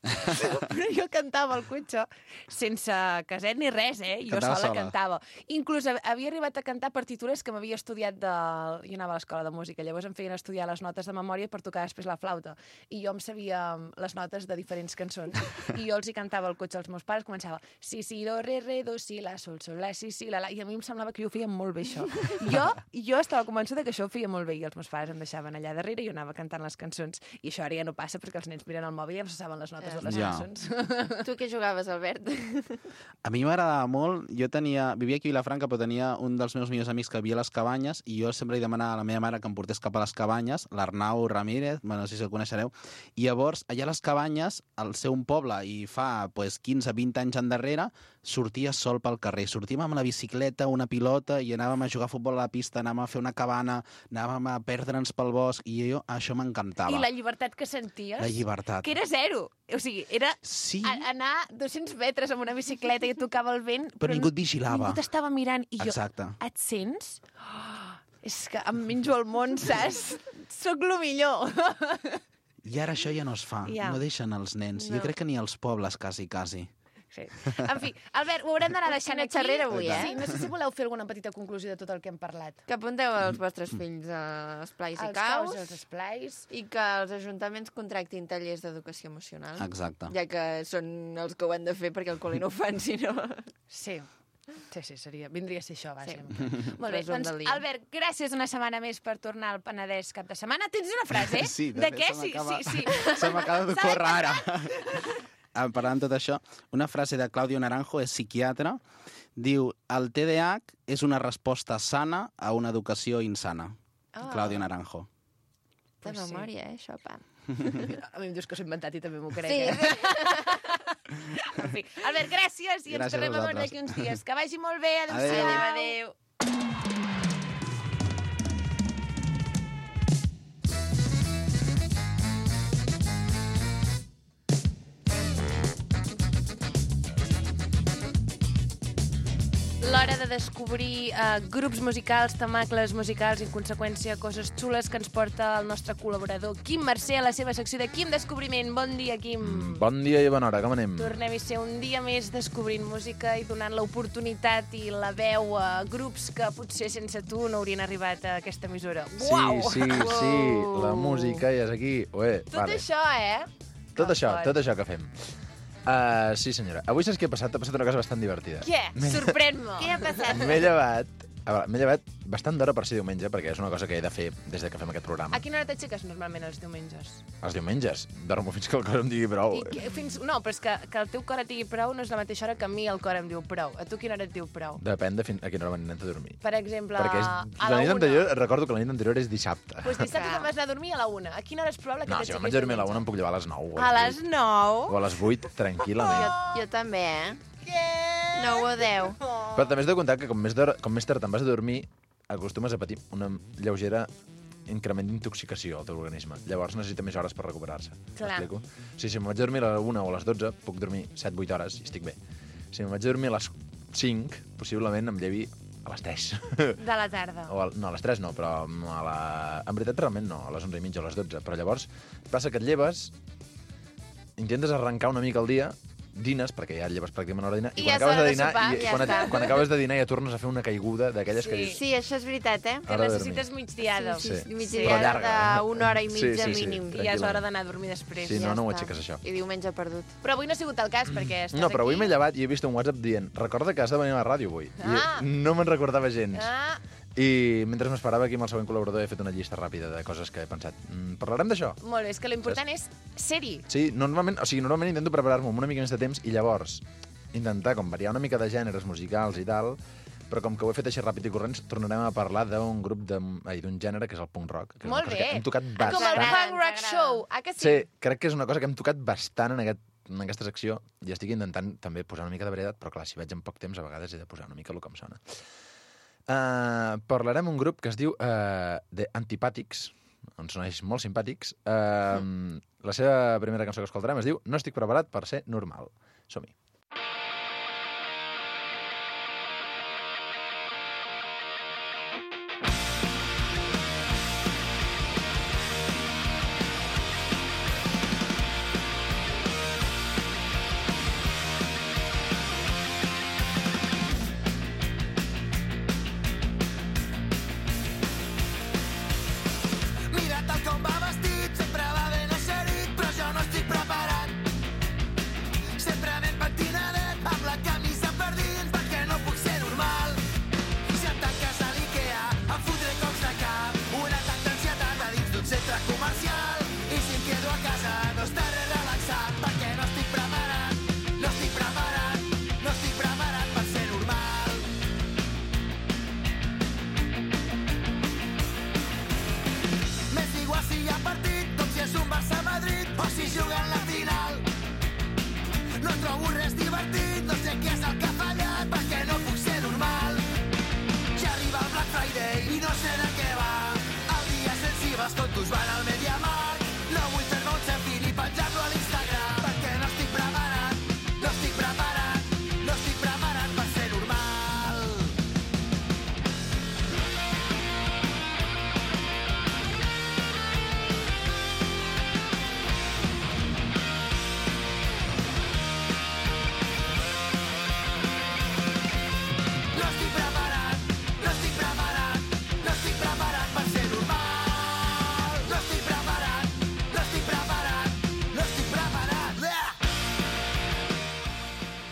Però jo cantava al cotxe sense caset ni res, eh? Jo Cantava sola, sola. cantava. Inclús hav- havia arribat a cantar partitures que m'havia estudiat de... Jo anava a l'escola de música, llavors em feien estudiar les notes de memòria per tocar després la flauta. I jo em sabia les notes de diferents cançons. I jo els hi cantava al cotxe als meus pares, començava si, si, do, re, re, do, si, la, sol, sol, la, si, si, la, la... I a mi em semblava que jo ho feia molt bé, això. Jo, jo estava convençuda que això ho feia molt bé i els meus pares em deixaven allà darrere i jo anava cantant les cançons. I això ara ja no passa perquè els nens miren el mòbil i ja no se saben les notes totes les Ja. cançons. Tu què jugaves, Albert? A mi m'agradava molt, jo tenia, vivia aquí a Vilafranca, però tenia un dels meus millors amics que vivia a les Cabanyes i jo sempre li demanava a la meva mare que em portés cap a les Cabanyes, l'Arnau Ramírez, bueno, no sé si el coneixereu, i llavors allà a les Cabanyes, al ser un poble i fa pues, quinze vint anys endarrere, sortia sol pel carrer. Sortíem amb la bicicleta, una pilota i anàvem a jugar a futbol a la pista, anàvem a fer una cabana, anàvem a perdre'ns pel bosc i jo, això m'encantava. I la llibertat que senties... La llibertat. Que era zero. O sigui, era Sí, a- anar dos-cents metres amb una bicicleta i tocava el vent... però ningú et vigilava. Ningú t'estava mirant i jo... Exacte. Et sents? Oh, és que em menjo el món, saps? Soc lo millor. I ara això ja no es fa. Ja. No deixen els nens. No. Jo crec que ni als pobles, quasi, quasi. Sí. En fi, Albert, ho haurem d'anar deixant Quina aquí. xerrera avui, eh? Sí, no sé si voleu fer alguna petita conclusió de tot el que hem parlat. Que apunteu els vostres fills a esplais i Els caus caus, els esplais... i que els ajuntaments contractin tallers d'educació emocional. Exacte. Ja que són els que ho han de fer perquè el col·le no ho fan, si no... Sí. Sí, sí, seria, vindria a ser això, Sí. bàsicament. Molt bé, Resum doncs, del dia. Albert, gràcies una setmana més per tornar al Penedès cap de setmana. Tens una frase? Sí, de fet, què? se Sí, m'acaba- sí, sí. Se m'acaba d'ocórrer ara. Ah, Parlant de tot això, una frase de Claudio Naranjo, és psiquiatre, diu, el T D A H és una resposta sana a una educació insana. Ah. Claudio Naranjo. De Pues sí. memòria, eh, això, pa. A mi em dius que s'ho he inventat i també m'ho crec. Sí, eh? sí. En fi, Albert, gràcies i ens Gràcies a tornem a veure vosaltres. d'aquí uns dies. Que vagi molt bé. Adéu. Adéu-siau. Adéu. L'hora de descobrir uh, grups musicals, temacles musicals i, en conseqüència, coses xules que ens porta el nostre col·laborador Quim Mercè a la seva secció de Quim Descobriment. Bon dia, Quim. Bon dia i bona hora, com anem? Tornem a ser un dia més descobrint música i donant l'oportunitat i la veu a grups que potser sense tu no haurien arribat a aquesta emissora. Sí, Uau! sí, sí, la música ja és aquí. Ué, Tot vale. això, eh? Tot Que això, fort. tot això que fem. Uh, sí, senyora. Avui saps què ha passat? Ha passat una cosa bastant divertida. Què? Sorprèn-me. Què ha passat? M'he llevat... A veure, m'he llevat bastant d'hora per ser diumenge, perquè és una cosa que he de fer des de que fem aquest programa. A quina hora t'aixeques normalment els diumenges? Els diumenges. Dormo fins que el cor em digui prou. I que, fins, no, però és que, que el teu cor et digui prou no és la mateixa hora que a mi el cor em diu prou. A tu quina hora et diu prou? Depèn de fin... a quina hora m'he anat a dormir. Per exemple, perquè és... a la la nit una. anterior, recordo que la nit anterior és dissabte. Pues dissabte te'n vas anar a dormir a la una. A quina hora és probable que No, si t'aixequis me'n vaig a dormir a la una em diumenge? puc llevar a les nou. o A a les vuit. nou? O a les vuit, tranquil·lament. Jo, jo també, eh? Què? nou o deu. Però també has de comptar que com més, d'hora- com més tard te'n vas a dormir, acostumes a patir una lleugera increment d'intoxicació al teu organisme. Llavors necessita més hores per recuperar-se. Clar. M'explico? O sigui, si me'n vaig a dormir a la una o a les dotze, puc dormir set vuit hores i estic bé. Si me'n vaig a dormir a les cinc, possiblement em llevi a les tres. De la tarda. O a, no, a les tres no, però a la... en veritat realment no, a les onze i mitja o a les dotze. Però llavors passa que et lleves, intentes arrencar una mica el dia, dines, perquè ja et lleves pràcticament a l'hora de dinar, I i ja quan és acabes hora de de dinar, sopar, i ja quan, et, està. quan acabes de dinar ja tornes a fer una caiguda d'aquelles que Sí. dius... Sí, això és veritat, eh? Que Hora de necessites migdiada. Sí, sí, Sí. migdiada Però llarga, eh? d'una hora i mitja Sí, sí, sí. mínim. I ja és hora d'anar a dormir després. Sí, Ja no, no ho està. aixeques, això. I diumenge perdut. Però avui no ha sigut el cas, perquè estàs No, però avui aquí. m'he llevat i he vist un WhatsApp dient recorda que has de venir a la ràdio avui. Ah. I no me'n recordava gens. Ah, I mentre m'esperava aquí amb el següent col·laborador he fet una llista ràpida de coses que he pensat. Mm, parlarem d'això? molt bé, és que l'important és ser-hi. Sí, normalment, o sigui, normalment intento preparar-me amb una mica més de temps i llavors intentar com variar una mica de gèneres musicals i tal, però com que ho he fet així ràpid i corrents, tornarem a parlar d'un grup de, ai, d'un gènere que és el punk rock, que és Molt una cosa bé. que hem tocat Ah, com el bastant. T'agrada, Punk Rock t'agrada. Show. Ah, que sí? Sí, crec que és una cosa que hem tocat bastant en, aquest, en aquesta secció i estic intentant també posar una mica de varietat, però clar, si vaig en poc temps a vegades he de posar una mica el que em sona. Uh, parlarem un grup que es diu uh, The Antipàtics, ens soneix molt simpàtics. Uh, mm. La seva primera cançó que escoltarem es diu No estic preparat per ser normal. Som-hi. Mira tal com va vestit, sempre va ben eixerit, però jo no estic preparat. Sempre anem patint si hi ha partit, com si és un Barça-Madrid o si juguen la final. No trobo res divertit, no sé què és el que ha fallat, perquè no puc ser normal. Ja arriba el Black Friday i no sé de què va. El dia sensible els tontos van al MediaMarkt. No vull fer-me un selfie ni penjar-lo a l'Instagram, perquè no estic preparat, no estic preparat, no estic preparat per ser normal. No estic preparat, no estic preparat, no estic preparat per ser normal. No estic preparat, no estic preparat, no estic preparat. Ah!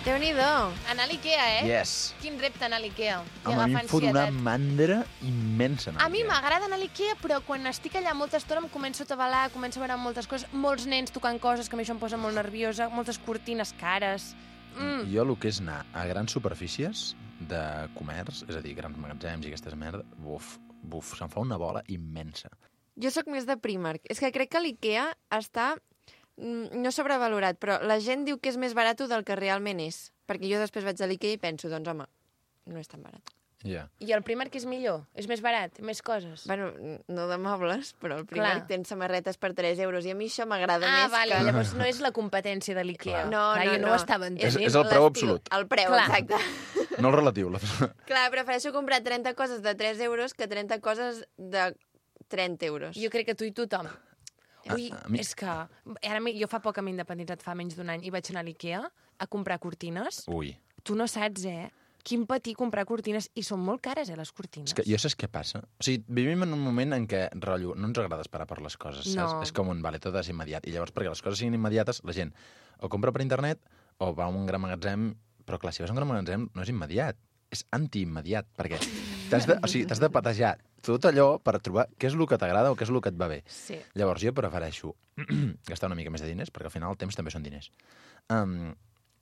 Déu-n'hi-do. Anar a l'Ikea, eh? Yes. Quin repte anar a l'Ikea. I Home, a mi agafar em fot una ansietat. mandra immensa. anar A mi Ikea. m'agrada anar a l'Ikea, però quan estic allà molta estona em començo a atabalar, començo a veure moltes coses, molts nens tocant coses que a mi això em posa molt nerviosa, moltes cortines cares. Mm. Jo el que és anar a grans superfícies de comerç, és a dir, grans magatzems i aquestes merda, buf, buf, se'm fa una bola immensa. Jo sóc més de Primark. És que crec que l'Ikea està, mm, no sobrevalorat, però la gent diu que és més barat del que realment és. Perquè jo després vaig a l'Ikea i penso, doncs home, no és tan barat. Ja. I el Primark és millor? És més barat? Més coses? Bueno, no de mobles, però el Primark Clar. tens samarretes per tres euros i a mi això m'agrada Ah, més vale, que... llavors no és la competència de l'Ikea. Clar. No, Clar, no, jo no, no. ho estava És, entenent. és el preu l'estil, absolut. El preu, Clar. exacte. No el relatiu. La... Clar, prefereixo comprar trenta coses de tres euros que trenta coses de trenta euros. Jo crec que tu i tothom. Ui, a mi- és que... Ara, mi- jo fa poc que m'he independitzat, fa menys d'un any, i vaig anar a l'Ikea a comprar cortines. Ui. Tu no saps, eh? Quin patir comprar cortines. I són molt cares, eh, les cortines. És que jo saps què passa? O sigui, vivim en un moment en què, rotllo, no ens agrada esperar per les coses, saps? No. És com un, vale, tot és immediat. I llavors, perquè les coses siguin immediates, la gent o compra per internet o va a un gran magatzem, però clar, si vas a un gran magatzem no és immediat, és antiimmediat, perquè t'has de, o sigui, t'has de patejar tot allò per trobar què és el que t'agrada o què és el que et va bé. Sí. Llavors, jo prefereixo gastar una mica més de diners, perquè al final el temps també són diners, um,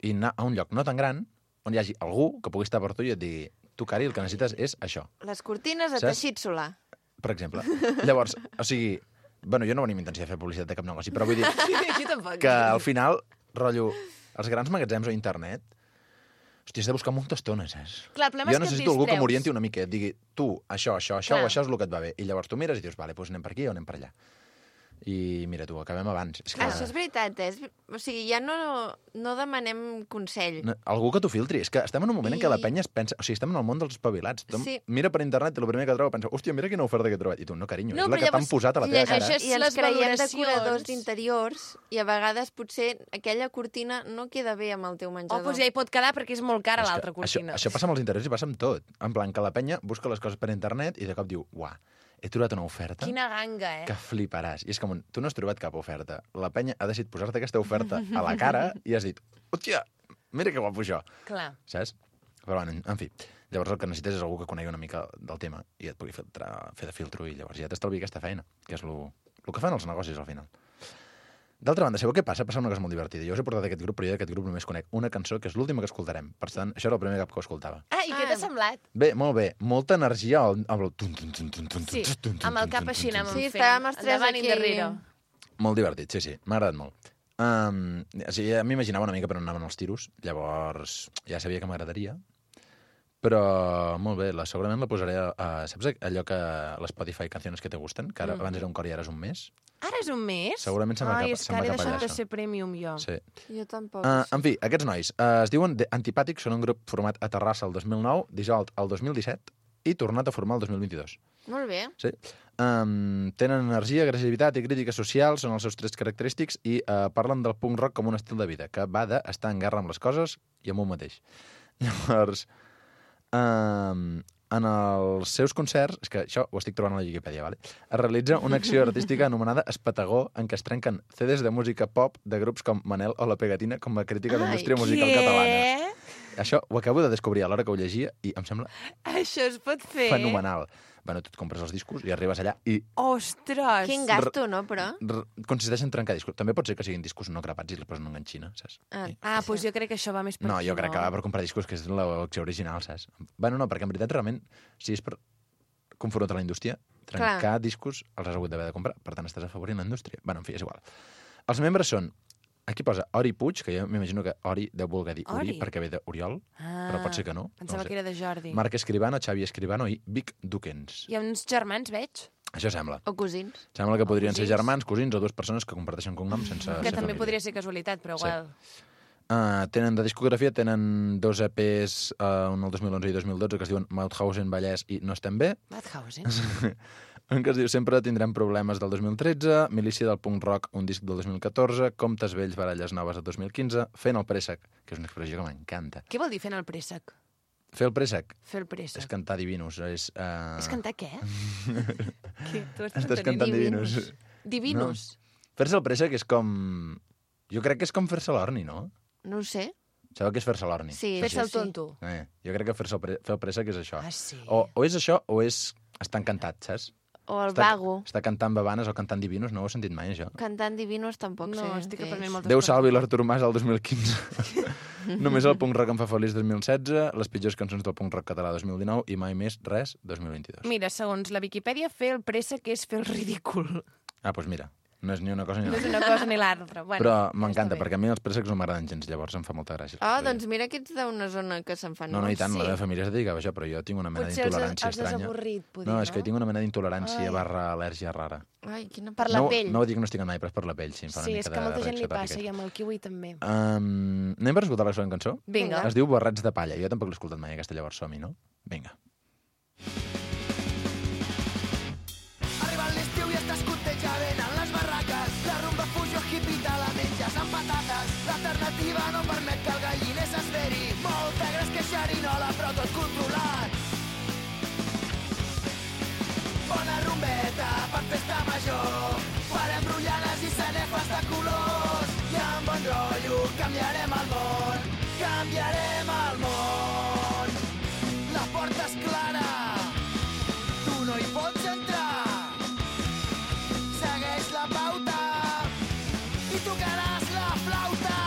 i anar a un lloc no tan gran, on hi hagi algú que pugui estar per tu i et digui, tu, Cari, el que necessites és això, Les cortines de Saps? teixit solar. per exemple. Llavors, o sigui, bueno, jo no venim intenció de fer publicitat de cap negoci, però vull dir Jo tampoc. que al final, rotllo, els grans magatzems o internet, hòstia, has de buscar molta estona, saps? Clar, el problema Jo és que et necessito algú que distreus. m'orienti una mica, et digui, tu, això, això, això, Clar. o això és el que et va bé. I llavors tu mires i dius, vale, doncs anem per aquí o anem per allà. I mira tu, acabem abans. És que... Això és veritat, eh? És- O sigui, ja no, no demanem consell. No, algú que t'ho filtri. És que estem en un moment I... en què la I- penya es pensa... O sigui, estem en el món dels espavilats. Tothom Sí. mira per internet i el primer que troba pensa, hòstia, mira quina oferta que he trobat. I tu, no, carinyo, No, és la però que t'han llavors posat a la teva cara. llegeixes- I ens les creiem valoracions. decoradors d'interiors i a vegades potser aquella cortina no queda bé amb el teu O menjador. doncs ja hi pot quedar perquè és molt cara És que l'altra cortina. Això, això passa amb els interiors i passa amb tot. En plan, que la penya busca les coses per internet i de cop diu, uah, he trobat una oferta Quina ganga, eh? que fliparàs. I és com, un, tu no has trobat cap oferta. La penya ha decidit posar-te aquesta oferta a la cara i has dit, hòstia, mira que guapo això. Clar. Saps? Però, bueno, en fi. Llavors el que necessites és algú que conegui una mica del tema i et pugui filtrar, fer de filtro i llavors ja t'estalvi aquesta feina, que és el que fan els negocis al final. D'altra banda, sabeu què passa? Passa una cosa molt divertida. Jo us he portat aquest grup, però jo d'aquest grup només conec una cançó, que és l'última que escoltarem. Per tant, això era el primer cap que ho escoltava. Ah, i què Ah. t'ha semblat? Bé, molt bé. Molta energia al... amb el... tun, tun, tun, tun, tun, Sí, tun, tun, amb el tun, cap tun, així tun, anàvem tun. Sí, fent. estàvem els tres Endavant i aquí. endarrere. Molt divertit, sí, sí. M'ha agradat molt. Um, o sigui, ja m'imaginava una mica per on anaven els tiros, llavors ja sabia que m'agradaria, però molt bé, la, segurament la posaré a, a saps allò que l'Spotify Canciones que te gusten, que ara, Mm. abans era un cor i ara és un mes? Ara és un mes? Segurament se'n va Ai, cap- és se'n que va ara he cap allà, deixat de això. ser premium, jo. Sí. Jo tampoc. Uh, això. en fi, aquests nois uh, es diuen The Antipàtics, són un grup format a Terrassa el dos mil nou, dissolt el dos mil disset i tornat a formar el dos mil vint-i-dos. Molt bé. Sí. Um, tenen energia, agressivitat i crítica social, són els seus trets característics i uh, parlen del punk rock com un estil de vida, que va d'estar en guerra amb les coses i amb un mateix. Llavors, um, en els seus concerts, és que això ho estic trobant a la Wikipedia, vale? Es realitza una acció artística anomenada Espatagó, en què es trenquen C Ds de música pop de grups com Manel o La Pegatina com a crítica de la Ai, indústria musical catalana. Què? Això ho acabo de descobrir a l'hora que ho llegia i em sembla Això es pot fer? fenomenal. Bueno, tu et compres els discos i arribes allà i Ostres! Quin gasto, no, però? r- consisteix en trencar discos. També pot ser que siguin discos no grapats i els posen en enganxina, saps? Ah, I- Ah, doncs jo crec que això va més per No, aquí, jo crec que va per comprar discos que és l'opció original, saps? Bueno, no, perquè en veritat realment, si és per confrontar la indústria, Trencar Clar. discos els has hagut d'haver de comprar, per tant estàs afavorint la indústria. Bueno, en fi, és igual. Els membres són, aquí posa Ori Puig, que jo m'imagino que Ori deu voler dir Uri, Ori? perquè ve d'Oriol, Ah, però pot ser que no. Pensava no ho sé. que era de Jordi. Marc Escribano, Xavi Escribano i Vic Duquens. Hi ha uns germans, veig, Això sembla. O cosins. Sembla que podrien ser cosins. germans, cosins o dues persones que comparteixen cognoms sense que ser també família. podria ser casualitat, però Sí. igual... Uh, tenen de discografia, tenen dos E Ps, uh, un el dos mil onze i dos mil dotze, que es diuen Mauthausen, Vallès i No estem bé. Madhausen. Un que es diu Sempre tindrem problemes del dos mil tretze, Milícia del punk rock, un disc del dos mil catorze, Comptes vells, baralles noves del dos mil quinze, Fent el préssec, que és una expressió que m'encanta. Què vol dir fent el préssec? Fer el préssec Fer el préssec. és cantar divinos. És, uh... És cantar què? què? Tu estàs, Estàs cantant divinos. Divinos. Fer-se el préssec és com... Jo crec que és com fer-se l'orni, no? No ho sé. Sabeu què és fer-se l'orni? Sí, Fer-se el sí. tonto. Eh, jo crec que fer-se el, pre... fer el préssec és això. Ah, sí. O, o és això o és estar encantat, saps? O el Està, vago. està cantant babanes o cantant divinos, no ho he sentit mai, això. Cantant divinos tampoc No, sé. estic què aprenent és. moltes Déu coses. salvi l'Artur Mas al dos mil quinze. Només el punk rock em fa feliç dos mil setze, les pitjors cançons del punk rock català dos mil dinou i mai més res dos mil vint-i-dos. Mira, segons la Viquipèdia, fer el préssec és fer el ridícul. Ah, doncs mira, no és ni una cosa ni No és l'altra. una cosa ni l'altra. Bueno, Però ja m'encanta, està bé. perquè a mi els préssecs no m'agraden gens, llavors em fa molta gràcia. Ah, doncs mira que ets d'una zona que se'n fan No, no, i tant, molts. la meva família es dedicava a això, però jo tinc una mena Potser els, d'intolerància els has estranya. avorrit, poder, No, no? és que tinc una mena d'intolerància Ai. barra al·lèrgia rara. Ai, quina Per la no, pell. no ho diagnostiquen mai, però és per la pell, sí, em fa una Sí, mica és que de molta gent li reacció passa, tòpica. i amb el kiwi també. Um, anem per escoltar la següent cançó? Vinga. Es diu Barrets de palla. Jo tampoc l'he escoltat mai, aquesta, llavors som-hi, no? Vinga. Arriba l'estiu i estàs conteja venen les barraques. La rumba fusió hippie te la menges amb patates. L'alternativa no permet que el galliner s'esperi. Molta gres que xerinola, però tot controlat. Bona rumbeta per festa major. Farem rotllanes i sanefes de colors. I amb bon rotllo canviarem el món. Canviarem el món. La porta és clara. Tu no hi pots entrar. Segueix la pauta i tocaràs la flauta.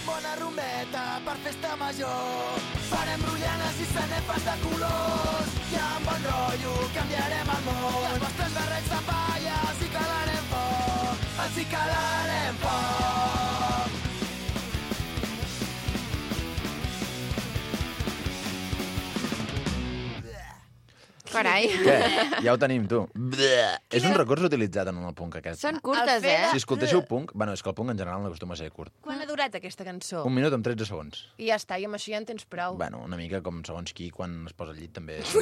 Bona rumbeta per festa major. Farem rotllanes i sanefes de colors. I amb bon rotllo canviarem el món. I els vostres barrets de palla els hi calarem foc. Els hi calarem foc. Carai. Què? Ja ho tenim, tu. És un recurs utilitzat en el punk, aquest. Són curtes, El fet eh? Si escoltéssiu punk... Bueno, és que el punk en general no acostuma a ser curt. Quan ha durat aquesta cançó? Un minut amb tretze segons. I ja està, i amb això ja en tens prou. Bueno, una mica com segons qui quan es posa al llit també. És...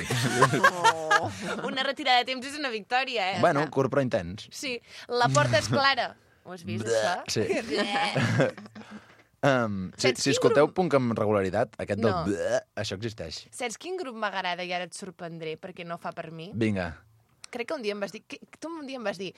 Oh. Una retirada de temps és una victòria, eh? bueno, curt però intens. Sí, la porta és clara. Ho has vist, això? Sí. Um, si, Saps si quin escolteu grup? punk amb regularitat, aquest del No. bleh, això existeix. Saps quin grup m'agrada i ara et sorprendré perquè no fa per mi? Vinga. Crec que un dia em vas dir... Que, tu un dia em vas dir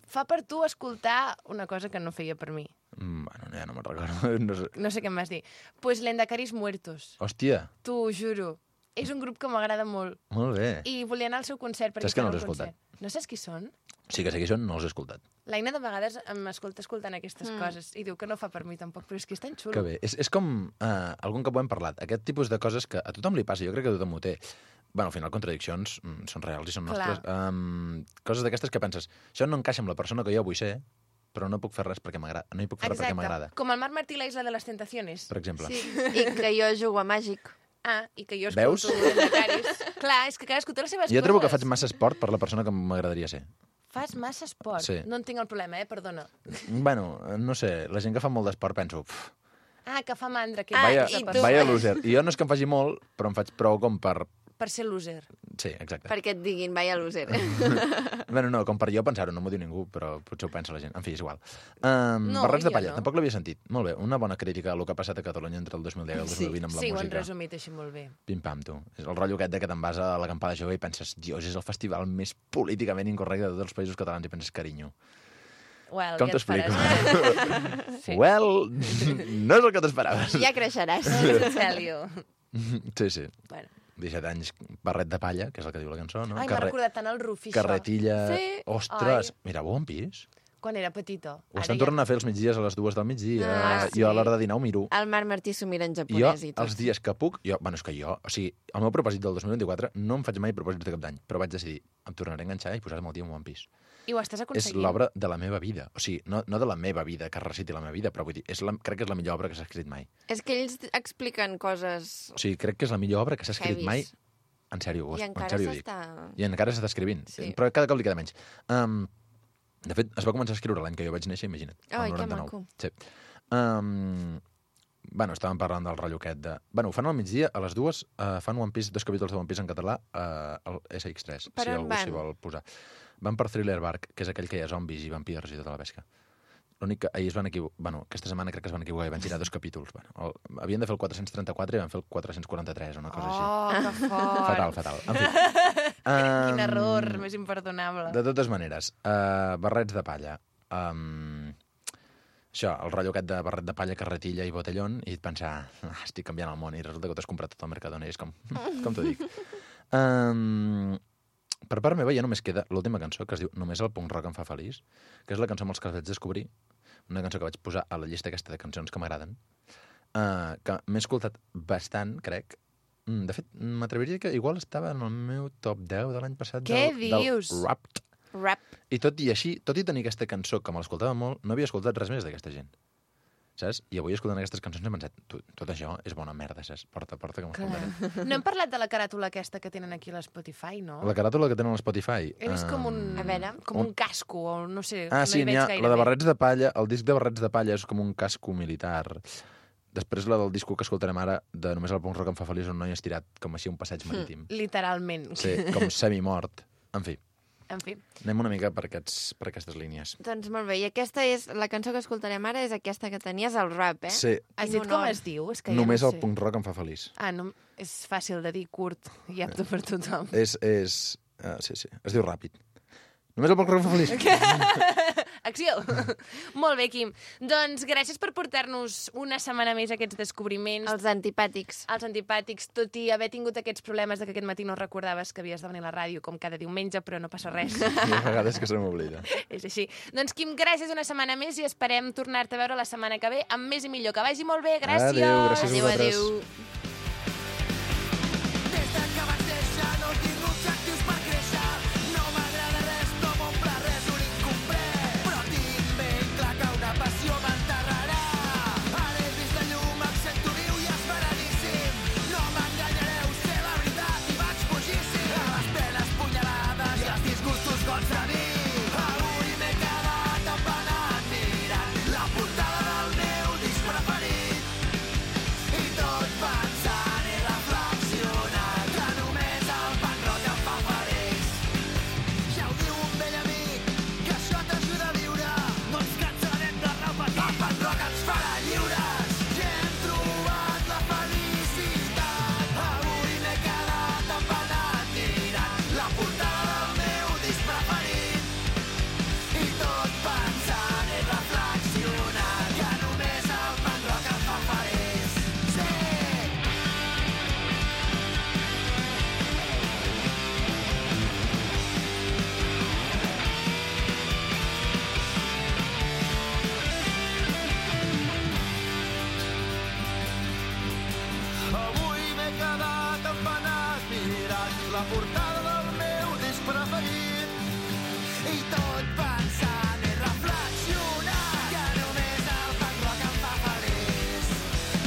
fa per tu escoltar una cosa que no feia per mi. Mm, bueno, ja no me'n recordo. No sé. No sé què em vas dir. Pues l'Endacaris Muertos. Hòstia, T'ho juro. És un grup que m'agrada molt. molt bé. I volia anar al seu concert. Perquè Saps que no fan els he un concert. escoltat? No saps qui són? Sí que sé qui són, no els he escoltat. L'Aina de vegades m'escolta escoltant aquestes mm. coses i diu que no fa per mi tampoc, però és que és tan xulo. Que bé. És, és com uh, algun cop ho hem parlat. Aquest tipus de coses que a tothom li passa, jo crec que tothom ho té. Bueno, al final, contradiccions mm, són reals i són Clar. nostres. Um, coses d'aquestes que penses, això no encaixa amb la persona que jo vull ser, però no puc fer res perquè m'agrada. No hi puc fer res perquè m'agrada, Com el Marc Martí i la Isla de les Tentaciones. per exemple. Sí. I que jo jugo a Màgic. Ah, i que jo Veus? escolto Endacaris. Clar, és que cadascú té les seves Jo trobo que coses. faig massa esport per la persona que m'agradaria ser. Fas massa esport. Sí. No en tinc el problema, eh? Perdona. Bueno, no sé, la gent que fa molt d'esport penso... Pff, Ah, que fa mandra. Que Ah, vaya, i per, tu? vaya loser. I jo no és que em faci molt, però em faig prou com per... per ser loser. Sí, exacte. Perquè et diguin, vaya loser. Bueno, no, com per jo pensar-ho, no m'ho diu ningú, però potser ho pensa la gent. En fi, és igual. Um, No, Barrets de jo palla, no. tampoc l'havia sentit. Molt bé, una bona crítica a lo que ha passat a Catalunya entre el dos mil deu i el dos mil vint amb la Sí, ho han música. resumit així molt bé. Pim-pam, tu. És el rotllo aquest de que te'n vas a l'acampada jove i penses, dios, és el festival més políticament incorrecte de tots els països catalans i penses, carinyo. Well, Com ja et t'explico? faràs. Sí. Well, no és el que t'esperaves. Ja creixeràs. Celio. Sí, sí. Bueno. disset anys, barret de palla, que és el que diu la cançó, no? Ai, m'ha recordat tant el Rufí, Carretilla... això. Sí. Ostres, Ai. mira, One Piece. Quan era petita. Ho estan tornant a fer els migdies a les dues del migdia. Ah, sí. Jo a l'hora de dinar ho miro. El Marc Martí s'ho mira en Jo, japonès i tot. els dies que puc... Jo, bueno, és que jo... O sigui, el meu propòsit del dos mil vint-i-quatre no em faig mai propòsits de cap d'any, però vaig decidir, em tornaré a enganxar i posar-me al dia un One Piece. I ho estàs És aconseguint. l'obra de la meva vida. O sigui, no, no de la meva vida, que reciti la meva vida, però vull dir, és la, crec que és la millor obra que s'ha escrit mai. És que ells expliquen coses... O sigui, crec que és la millor obra que s'ha escrit Heavies. mai. En sèrio, I en encara sèrio ho dic. s'està... I encara s'està escrivint. Sí. Però cada cop li queda menys. Um, de fet, es va començar a escriure l'any que jo vaig néixer, imagina't. el Ai, que noranta-nou. maco. Sí. Um, bueno, estàvem parlant del rotllo aquest de... Bueno, ho fan al migdia, a les dues, uh, fan One Piece, dos capítols de One Piece en català, uh, al S X tres, Per si on algú van? s'hi vol posar. Van per Thriller Bark, que és aquell que hi ha zombis i vampirs i tota la pesca. L'únic que ahir es van equivocar... Bueno, aquesta setmana crec que es van equivocar i van girar dos capítols. Bueno, el, havien de fer el quatre-cents trenta-quatre i van fer el quatre-cents quaranta-tres, una cosa així. Oh, que fort. Fatal, fatal. En fi. Quin Um, error, més imperdonable. De totes maneres, uh, barrets de palla. Um, això, el rotllo aquest de barret de palla, carretilla i botellón, i pensar, ah, estic canviant el món, i resulta que t'has comprat tot el Mercadona, i és com, com t'ho dic. Um, per part meva ja només queda l'última cançó, que es diu Només el punk rock em fa feliç, que és la cançó amb els que vaig descobrir, una cançó que vaig posar a la llista aquesta de cançons que m'agraden, uh, que m'he escoltat bastant, crec. Mm, De fet, m'atreviria que igual estava en el meu top deu de l'any passat Què del, dius? del Wrapped. Rap. I tot i així, tot i tenir aquesta cançó que me l'escoltava molt, no havia escoltat res més d'aquesta gent. Saps? I avui, escoltant aquestes cançons, he pensat, tot, tot això és bona merda, saps? Porta, porta, que m'escoltaré. No hem parlat de la caràtula aquesta que tenen aquí a l'Spotify, no? La caràtula que tenen a Spotify... He vist com un, A veure. com un- un casco, o no sé, Ah, no sí, hi n'hi veig ha gaire la de bé. barrets de palla, el disc de barrets de palla és com un casco militar. Després la del disco que escoltarem ara, de Només el punk rock em fa feliç, un noi estirat com així a un passeig marítim. Literalment. Sí, com semimort. En fi, En fi. anem una mica per, aquests, per aquestes línies. Doncs molt bé, i aquesta és, la cançó que escoltarem ara és aquesta que tenies, el rap, eh? Sí, Has En dit com honor. es diu? És que Només ja no el sé. punk rock em fa feliç. Ah, no, és fàcil de dir, curt i apte per tothom. És... és uh, sí, sí, es diu ràpid. Només el punk rock em fa feliç. Acció! Molt bé, Quim. Doncs gràcies per portar-nos una setmana més aquests descobriments. Els antipàtics. Els antipàtics, tot i haver tingut aquests problemes de que aquest matí no recordaves que havies de venir a la ràdio com cada diumenge, però no passa res. Hi ha vegades que se m'oblida. És així. Doncs, Quim, gràcies una setmana més i esperem tornar-te a veure la setmana que ve amb més i millor. Que vagi molt bé. Gràcies! Adéu, gràcies a Adéu, vosaltres. adéu. Des de que vaig néixer no tinc objectius per créixer. No m'agrada res, no m'omple res, un incomplet. Però tinc ben clar que una passió m'enterrarà. Ara he vist la llum, em sento viu i esperadíssim. No m'enganyareu, sé la veritat i vaig fugíssim. A les penes punyalades i els disgustos gots de vi. Avui m'he quedat empanat mirant la portada del meu disc preferit. I tot pensant i reflexionant que només el punk rock em fa feliç. Ja ho diu un vell amic, que això t'ajuda a viure. No ens cansarem de repetir, el punk rock ens farà lliures. Ja hem trobat la felicitat. Avui m'he quedat empanat mirant la portada del meu disc preferit. I tot pensant i reflexionant que només el punk rock em fa feliç. Sí! Avui m'he quedat empanat mirant la portada del meu disc preferit i tot pensant i reflexionant que només el punk rock em fa feliç,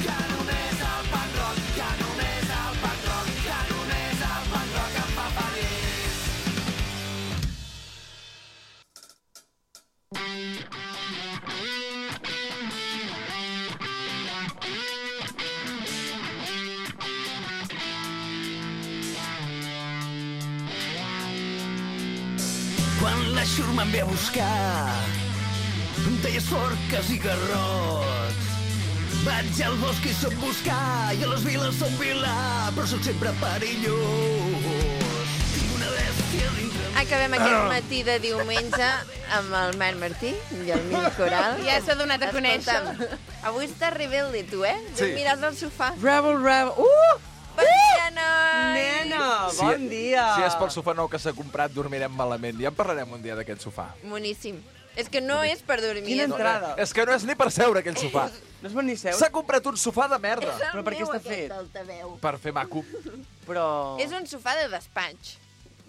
que només el punk rock, que només el punk rock, que només el punk rock em fa feliç. Quan la xurma em ve a buscar, em deies forques i garrots. Vaig al bosc i soc buscar, i a les viles soc vilà, però soc sempre perillós. Tinc una bèstia dintre. Acabem aquest matí de diumenge amb el Marc Martí i el Mil Coral. Ja s'ha donat a conèixer. Escolta'm, avui estàs rebelde, tu, eh? Sí. Sí. Mires al sofà. Rebel, rebel. Uh! Bon dia, noi! Nena, bon dia! Si és pel sofà nou que s'ha comprat, dormirem malament. Ja en parlarem un dia d'aquest sofà. Boníssim. És que no és per dormir. Quina és- entrada. És que no és ni per seure, aquell sofà. No es pot ni seure. S'ha comprat un sofà de merda. És el Però per què meu, està aquest fet? altaveu. Per fer maco. Però... És un sofà de despatx,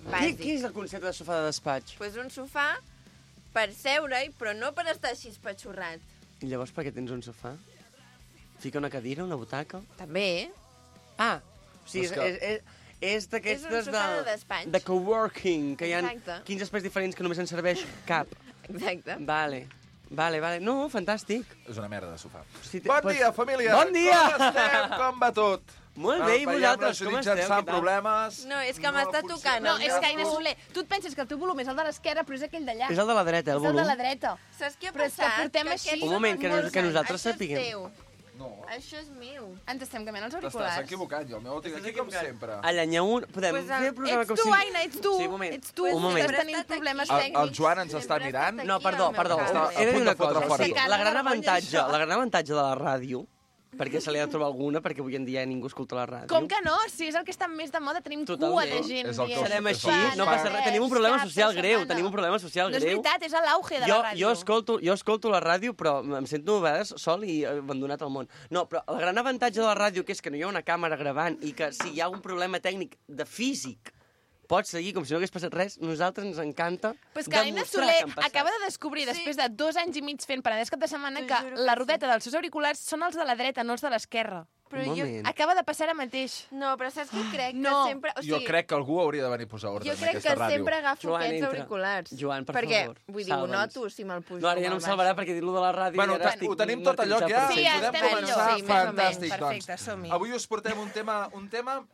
Què, bàsic. què és el concepte de sofà de despatx? Pues un sofà per seure-hi, però no per estar així espatxorrat. I llavors per què tens un sofà? Fica una cadira, una butaca? També, eh? Ah, o sigui, és, És que- és, és, és d'aquestes És un sofà de de, despatx. de coworking, que hi ha Exacte. quinze espais diferents que només en serveix cap. Exacte. Vale, vale, vale. No, fantàstic. És una merda de sofà. Si te- Bon pues- dia, família. Bon dia! Com estem? Com va tot? Molt bé, i Veiem vosaltres, la com Judit esteu? Jensen Què tal? problemes. No, és que No m'està funciona. tocant. No, el és meu que, Aina cul. Soler, tu et penses que el teu volum és el de l'esquerra, però és aquell d'allà. És el de la dreta, el És el volum. de la dreta. Saps què ha Però és que passat? portem que així- aquests Un són moment, que molt nos- que grans. nosaltres Això sapiguem. és teu. No, Això és meu. Ens estem canviant els t'estàs auriculars. equivocant. Jo el meu el tinc aquí com sempre. Allà n'hi ha un... Podem Pues el- fer el programa Ets com tu, si... Aina, ets tu. Sí, un moment. Ets tu, Un moment. estàs tenint problemes El, tècnics. el Joan ens està Sempre mirant. estat No, aquí, perdó, al meu perdó. cable. Està a He de dir punt una de fotre cosa. fora Sí, tot. la gran Vergonya, avantatge, això. la gran avantatge de la ràdio, perquè se li ha de trobar alguna, perquè avui en dia ningú escolta la ràdio. Com que no? Si és el que està més de moda, tenim Totalment. cua de gent És el que dient... Serem és així, el que no fa. passa res. Tenim un problema Cap social setmana. greu, tenim un problema social No és greu. veritat, és l'auge de jo, la ràdio. jo, escolto, jo escolto la ràdio, però em sento a vegades sol i abandonat al món. No, però el gran avantatge de la ràdio, que és que no hi ha una càmera gravant i que si hi ha un problema tècnic de físic pots seguir com si no hagués passat res, nosaltres ens encanta Pues que Aina demostrar Soler que han passat. acaba de descobrir, Sí. després de dos anys i mig fent Penedès cap de setmana, T'ho que juro que la sí. rodeta dels seus auriculars són els de la dreta, no els de l'esquerra. Però Un jo... moment. Acaba de passar ara mateix. No, però saps què crec? No. Que sempre... O Jo sigui, crec que algú hauria de venir a posar ordre Jo en crec aquesta que ràdio. sempre agafo Joan, aquests entra. auriculars. Joan, per perquè, favor, vull dir, ho salva'ns. noto si me'l pujo. No, ara ja no em molt salvarà baix. perquè dir-lo de la ràdio Bueno, i ara ta- estic ho tenim tot allò que hi ha. Sí, podem estem començar. millor. Sí, més o menys. Fantàstic, Perfecte, doncs. som-hi. Avui us portem un tema, un tema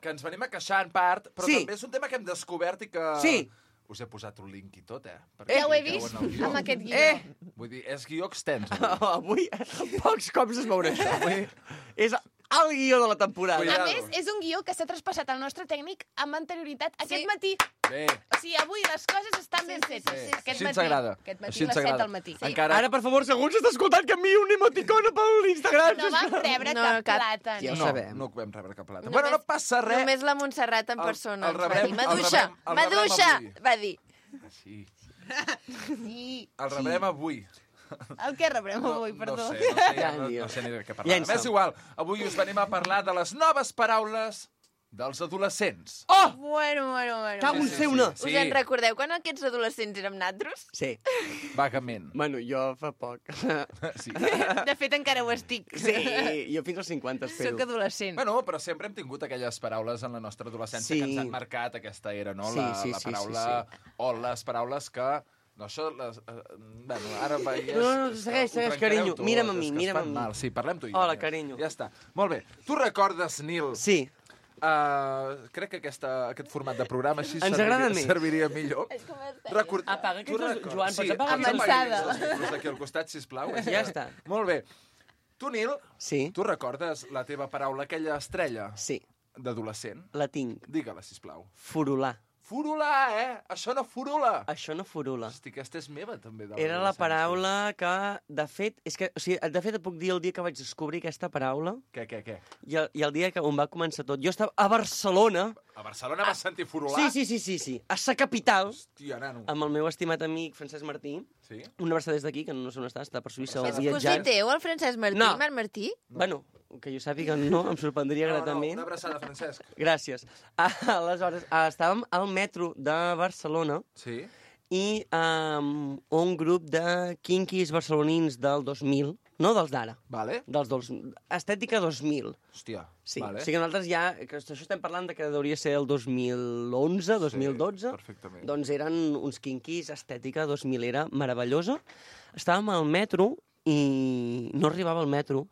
que ens venim a queixar en part, però Sí. també és un tema que hem descobert i que... Sí. Us he posat un link i tot, eh? Ja ho he cliqueu vist en el guió. amb aquest guió. Eh! Vull dir, és guió extens. Avui, avui. pocs cops es veurà això. Avui és el guió de la temporada. A Cuidado. més, és un guió que s'ha traspassat al nostre tècnic amb anterioritat aquest Sí. matí. Bé, O sigui, avui les coses estan ben sí, fetes. sí, sí. Aquest així ens matí, agrada. Aquest matí Així a ens les set agrada. del matí. Encara... Ara, per favor, segur s'està escoltant que enviï una emoticona per l'Instagram. No vam rebre No, cap cap. plata. Ja ho no, sabem. no vam rebre cap plata. Només- Bueno, no passa res. Només la Montserrat en El- persona el ens va rebrem- dir. el Maduixa, rebrem- el rebrem Maduixa, avui. va dir. Sí, Sí. el rebrem avui. El que rebrem avui, perdó. No sé, no sé, Ja, no, tio. no sé ni de què parlar. Llença'l. És igual, avui us venim a parlar de les noves paraules dels adolescents. Oh! Bueno, bueno, bueno. Cago en Sí, ser sí, una. sí. Us en recordeu quan aquests adolescents érem natros? Sí. Vagament. Bueno, jo fa poc. Sí. De fet, encara ho estic. Sí, jo fins als cinquanta espero. Soc adolescent. Bueno, però sempre hem tingut aquelles paraules en la nostra adolescència Sí. que ens han marcat aquesta era, no? Sí, la, sí, la sí, paraula... O les paraules que... No, això... Les, eh, bueno, ara veies... No, no, és que segueix, ho segueix, trencareu carinyo. tot, Mira'm a és mi, que es mira'm fan a mi. Mal. Sí, parlem tu i jo. Hola, mira. carinyo. Ja està. Molt bé. Tu recordes, Nil... Sí. Uh, crec que aquesta, aquest format de programa així Ens agrada serviria, més. serviria millor. Record... Apaga Tu aquests dos- recordes- Joan, sí, pots apagar pots aquests apagar dos? aquests dos micros aquí al costat, sisplau. Ja està. Molt bé. Tu, Nil, Sí. tu recordes la teva paraula, aquella estrella Sí. d'adolescent? La tinc. Digue-la, sisplau. Furular. Furular, eh? Això no furula. Això no furula. Hosti, aquesta és meva, també. de Era la l'adolescència. paraula que, de fet, és que, o sigui, de fet, et puc dir el dia que vaig descobrir aquesta paraula Què, què, què? i el, i el dia que on va començar tot. Jo estava a Barcelona. A Barcelona vas sentir furular? Sí, sí, sí, sí, sí. A sa capital, Hòstia, nano. amb el meu estimat amic Francesc Martí. Sí? Una abraçada des d'aquí, que no sé on està, està per Suïssa o És cosí viatjant. teu, el Francesc Martí? No. Marc Martí? Bueno, que jo sàpiga no, em sorprendria No, no, gratament. una abraçada, Francesc. Gràcies. Aleshores, ah, estàvem al metro de Barcelona Sí? i um, un grup de quinquis barcelonins del dos mil, no dels d'ara, Vale. dels dos, estètica dos mil. Hòstia, Sí, vale. o sigui, nosaltres ja, que això estem parlant de que hauria ser el dos mil onze, dos mil dotze, Sí, perfectament. doncs eren uns quinquis, estètica dos mil, era meravellosa. Estàvem al metro i no arribava al metro,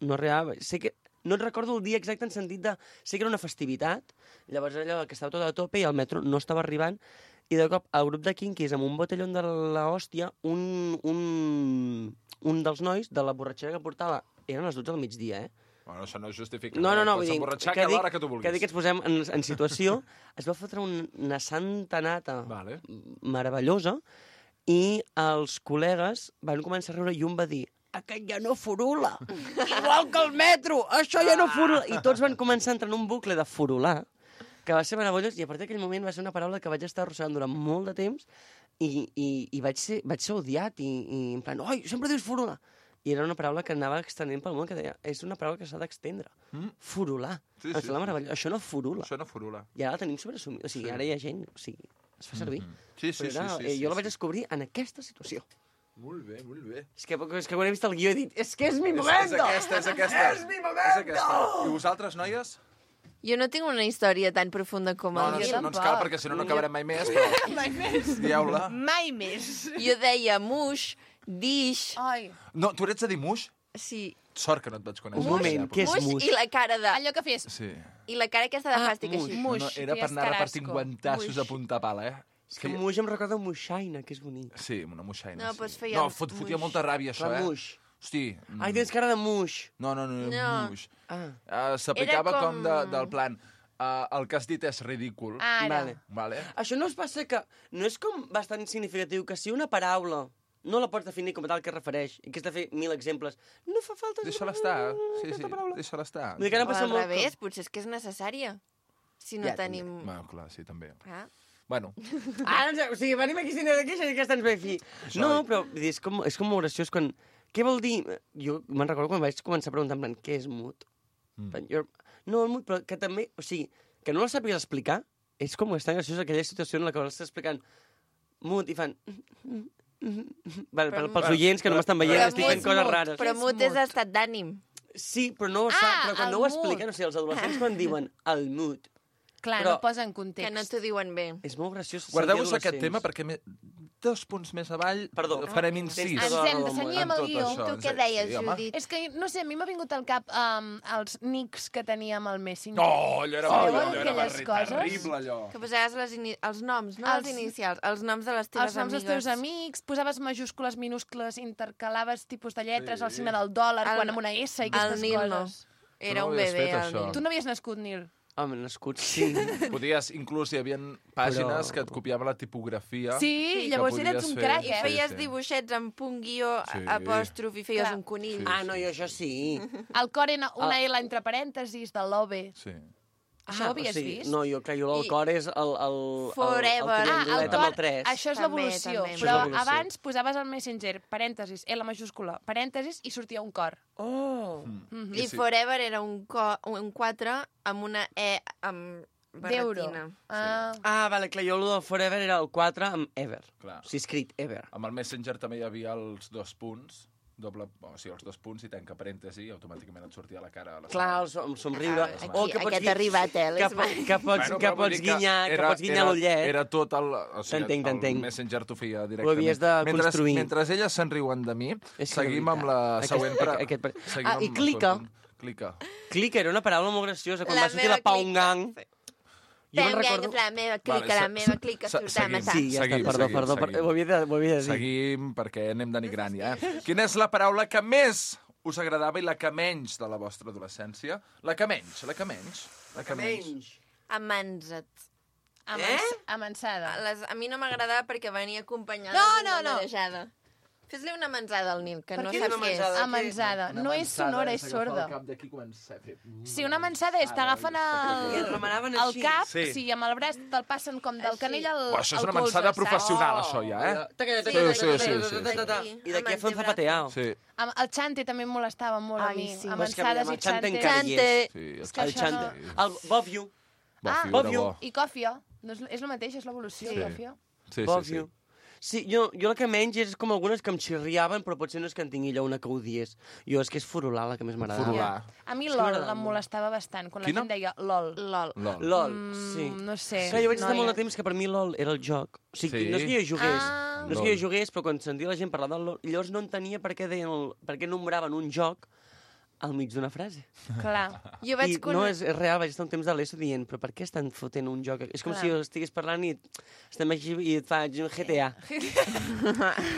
no arribava. Sé que no et recordo el dia exacte en sentit de... Sé que era una festivitat, llavors allò que estava tot a tope i el metro no estava arribant, i de cop el grup de quinquis amb un botellón de la hòstia, un, un, un dels nois de la borratxera que portava, eren les dotze del migdia, eh? Bueno, això no es justifica. No, no, no, vull Pots dir, emborratxar que que a dic, l'hora que tu vulguis. que dic que ens posem en, en situació, es va fotre un, una santa nata Vale. meravellosa i els col·legues van començar a riure i un va dir aquest ja no furula, igual que el metro, això ja no furula. I tots van començar a entrar en un bucle de furular, que va ser meravellós, i a partir d'aquell moment va ser una paraula que vaig estar arrossegant durant molt de temps, i, i, i vaig, ser, vaig ser odiat i, i en plan, oi, sempre dius furular. I era una paraula que anava extenent pel món, que deia, és una paraula que s'ha d'extendre. Mm? Furular. Sí, Em sí, sembla sí. meravellós. Això no furula. Això no furula. I ara la tenim sobreassumida. O sigui, Sí. ara hi ha gent... O sigui, es fa servir. Mhm. Sí, sí, Però era, sí, sí, eh, sí, jo la sí. vaig descobrir en aquesta situació. Molt bé, molt bé. És que, és que quan he vist el guió he dit, és que és mi És, és momento! aquesta, és aquesta. És mi És momento! aquesta. I vosaltres, noies? Jo no tinc una història tan profunda com No, el no, Guiu. no ens cal, perquè si no, no acabarem mai més, però Mai més. dieu-la. Mai més. Jo deia muix, dish... Ai. No, tu ets de dir muix? Sí, Sort que no et vaig conèixer. Un moment, què és muix muix? i la cara de... Allò que fes. Sí. I la cara aquesta de Ah, fàstic muix. així. No, Muix, no, era per feies anar repartint carasco. guantassos Muix. a punta pala, eh? És que muix em recorda un moixaina, que és bonic. Sí, una moixaina. No, sí. doncs feia No, fot, fotia muix. molta ràbia, això, Clar, eh? muix. Hosti. mm, Ai, tens cara de muix. No, no, no, No. muix. Ah, Uh, S'aplicava Era com... com- de, del plan... Uh, el que has dit és ridícul. Ara. vale. Vale? Això no es passa que... No és com bastant significatiu que si una paraula no la pots definir com a tal que es refereix i que has de fer mil exemples, no fa falta... Deixa-la estar. Sí, aquesta sí, paraula. deixa-la estar. Vull dir que ara O passa al molt... revés, potser és que és necessària. Si no Ja, també. tenim... Bueno, clar, sí, també. Ah. Bueno, Ah, no, o sigui, venim aquí sin de queixa i que estàs bé fi. No, però vull dir, és com, és com molt graciós quan... Què vol dir? Jo me'n recordo quan vaig començar a preguntar en plan, què és mut? Mm. Jo, no, el mut, però que també... O sigui, que no la sàpigues explicar és com bastant graciós aquella situació en la que l'estàs explicant mut i fan... Vale, Però pel, pels mut- oients que no m'estan veient, Però estic mut fent és coses mut. rares. Però és mut és mut? estat d'ànim. Sí, però no ho Ah, sap, però quan el no ho mut. expliquen, o sigui, els adolescents quan diuen el mut, Clar, Però- no posa en context. Que no t'ho diuen bé. és molt graciós. sentir guardeu-vos aquest adolescents. tema perquè me... dos punts més avall Perdó. farem Ah, incís. tens Ens tota la hem de raó, cenyir en amb el tot guió. això. Tu ens- què deies, sí, home. Judit? És que, no sé, a mi m'ha vingut al cap um, els nics que teníem al Messenger. No, allò era, Sabeu allò, allò era aquelles barri- coses? terrible, allò. Que posaves les ini... els noms, no Els- els inicials, els noms de les teves Els noms dels amigues. teus amics, posaves majúscules, minúscules, intercalaves tipus de lletres, Sí. el signe del dòlar, El- quan amb una S i El aquestes Nil no. coses. Era Tu no un ho havies bebè, fet, el això? Nil. Tu no havies nascut, Nil. Home, nascut, sí. Podies, inclús hi havia pàgines Però- que et copiaven la tipografia. Sí, Sí, llavors que eres podies un fer. crac, I eh? Sí, feies sí. dibuixets amb punt guió, Sí. apòstrof i feies Clar. un conill. Sí. Ah, no, jo això sí. El cor era una Ah. L entre parèntesis de l'O B. Sí. Això ho havies o sigui, vist? No, jo, clar, jo el I- cor és el... el Forever. El, el Ah, el triangulet amb el cor, tres. això és També, l'evolució. també. Però Això és l'evolució. abans posaves al Messenger, parèntesis, L majúscula, parèntesis, i sortia un cor. Oh! Mm. I sí. Forever era un, co un quatre amb una E amb D'euro. barretina. Ah. Ah, vale, clar, jo el del Forever era el quatre amb Ever. Clar. O sigui, escrit Ever. Amb el Messenger també hi havia els dos punts, doble, o sigui, els dos punts i tanca parèntesi, i automàticament et sortia la cara a la Clar, sala. el, som- el somriure. Ah, aquí- O que pots aquest gui- ha arribat, eh, Que, l'Esma. po- que pots, Bueno, que però vull pots dir que guinyar, que era- pots guinyar era- l'ullet. Era tot el... O sigui, T'entenc, el t'entenc. Messenger t'ho feia directament. Ho havies de mentre, construir. Mentre elles se'n riuen de mi, És que seguim de amb la veritat, següent... aquest- pre- aquest- seguim Ah, amb i el clica. següent punt. Clica. Clica era una paraula molt graciosa. Quan La va sortir meva la Paungang... clica. Jo me'n Tengang recordo... és la meva clica, Vale, la se- meva se- clica se- surt a seguim. matar. Sí, ja Seguim, està, perdó, seguim, perdó. seguim. Ho havia de, ho havia de dir. Seguim, perquè anem denigrant ja. Quina és la paraula que més us agradava i la que menys de la vostra adolescència? La que menys, la que menys. La que menys. Amansa't. Amans Eh? Amansada. Les, a mi no m'agradava perquè venia acompanyada No, d'una no, no. marejada. Fes-li una mansada al Nil, que Per no què sap una què és. mansada? Amansada. No és sonora, és sorda. d'aquí comença a fer... Si una mansada és, t'agafen I et el, remanaven el així. cap, Sí. sí, amb el braç te'l passen com del Així. canell al, Oh, això és al una colze, mansada saps? professional, això ja, eh? Sí, sí, sí, sí. I d'aquí a fer un zapateado. Sí, Amb el xante també em molestava molt a Ai, mi. sí. Però és que Amansades amb i el xante xante. encara hi és. sí. És que El això xante. no- El Bob You. Bo, Ah, figura Bob you. bo. I còfia. No és, és el mateix, és l'evolució, Sí. còfia. Sí, Bob sí, sí. You. Sí, jo, jo la que menys és com algunes que em xirriaven, però potser no és que en tingui allò una que odies. Jo és que és furular la que més m'agrada. Furular. A mi És que LOL m'agradava em molt. molestava bastant, quan Quina? la gent deia LOL. LOL. LOL. LOL, Mm, sí. No sé. Clar, jo vaig estar noia. molt de temps que per mi LOL era el joc. O sigui, Sí? no és que jo jugués, Ah. no és que jo jugués, però quan sentia la gent parlar del LOL, llavors no entenia per què, deien el, per què nombraven un joc al mig d'una frase. Clar. Jo vaig I conèixer... no, és, és real, vaig estar un temps de l'ESO dient, però per què estan fotent un joc? És com Clar. si jo estigués parlant i estem aquí i et faig un G T A.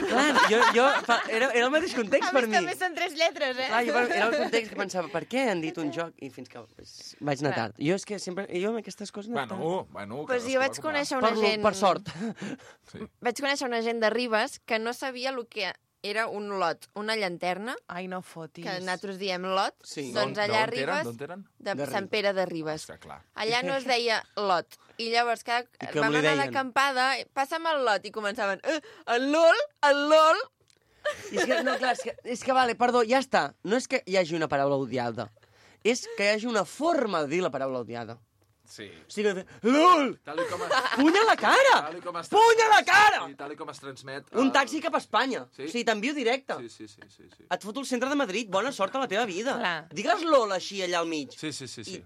Clar, jo, jo, fa, era, era el mateix context A per més, mi. també són tres lletres, eh? Clar, jo, era el context que pensava, per què han dit un joc? I fins que pues, vaig anar Clar. tard. Jo és que sempre... Jo amb aquestes coses... no Bueno, tant. bueno... Pues cadascú jo va vaig com va. conèixer una Per, gent... per sort. Sí. Vaig conèixer una gent de Ribes que no sabia el que era un lot, una llanterna, Ai, no fotis. que nosaltres diem lot, Sí. doncs D'on- allà d'on eren? arribes D'on eren? de De Sant Pere de Ribes. Està clar. Allà no es deia lot. I llavors cada... I com vam li anar deien? d'acampada, passa'm el lot, i començaven, eh, el lol, el lol. I és que, no, clar, és que, és que vale, perdó, ja està. No és que hi hagi una paraula odiada. És que hi hagi una forma de dir la paraula odiada. Sí. O sigui, que de- LOL! Tal i com es... Puny a la cara! Tal i com es... Puny a la cara! Sí, tal i com es transmet... Un el- taxi cap a Espanya. Sí? O sigui, t'envio directe. Sí, sí, sí, sí, sí. Et foto al centre de Madrid. Bona sort a la teva vida. Clar. Digues LOL així allà al mig. Sí, sí, sí, sí.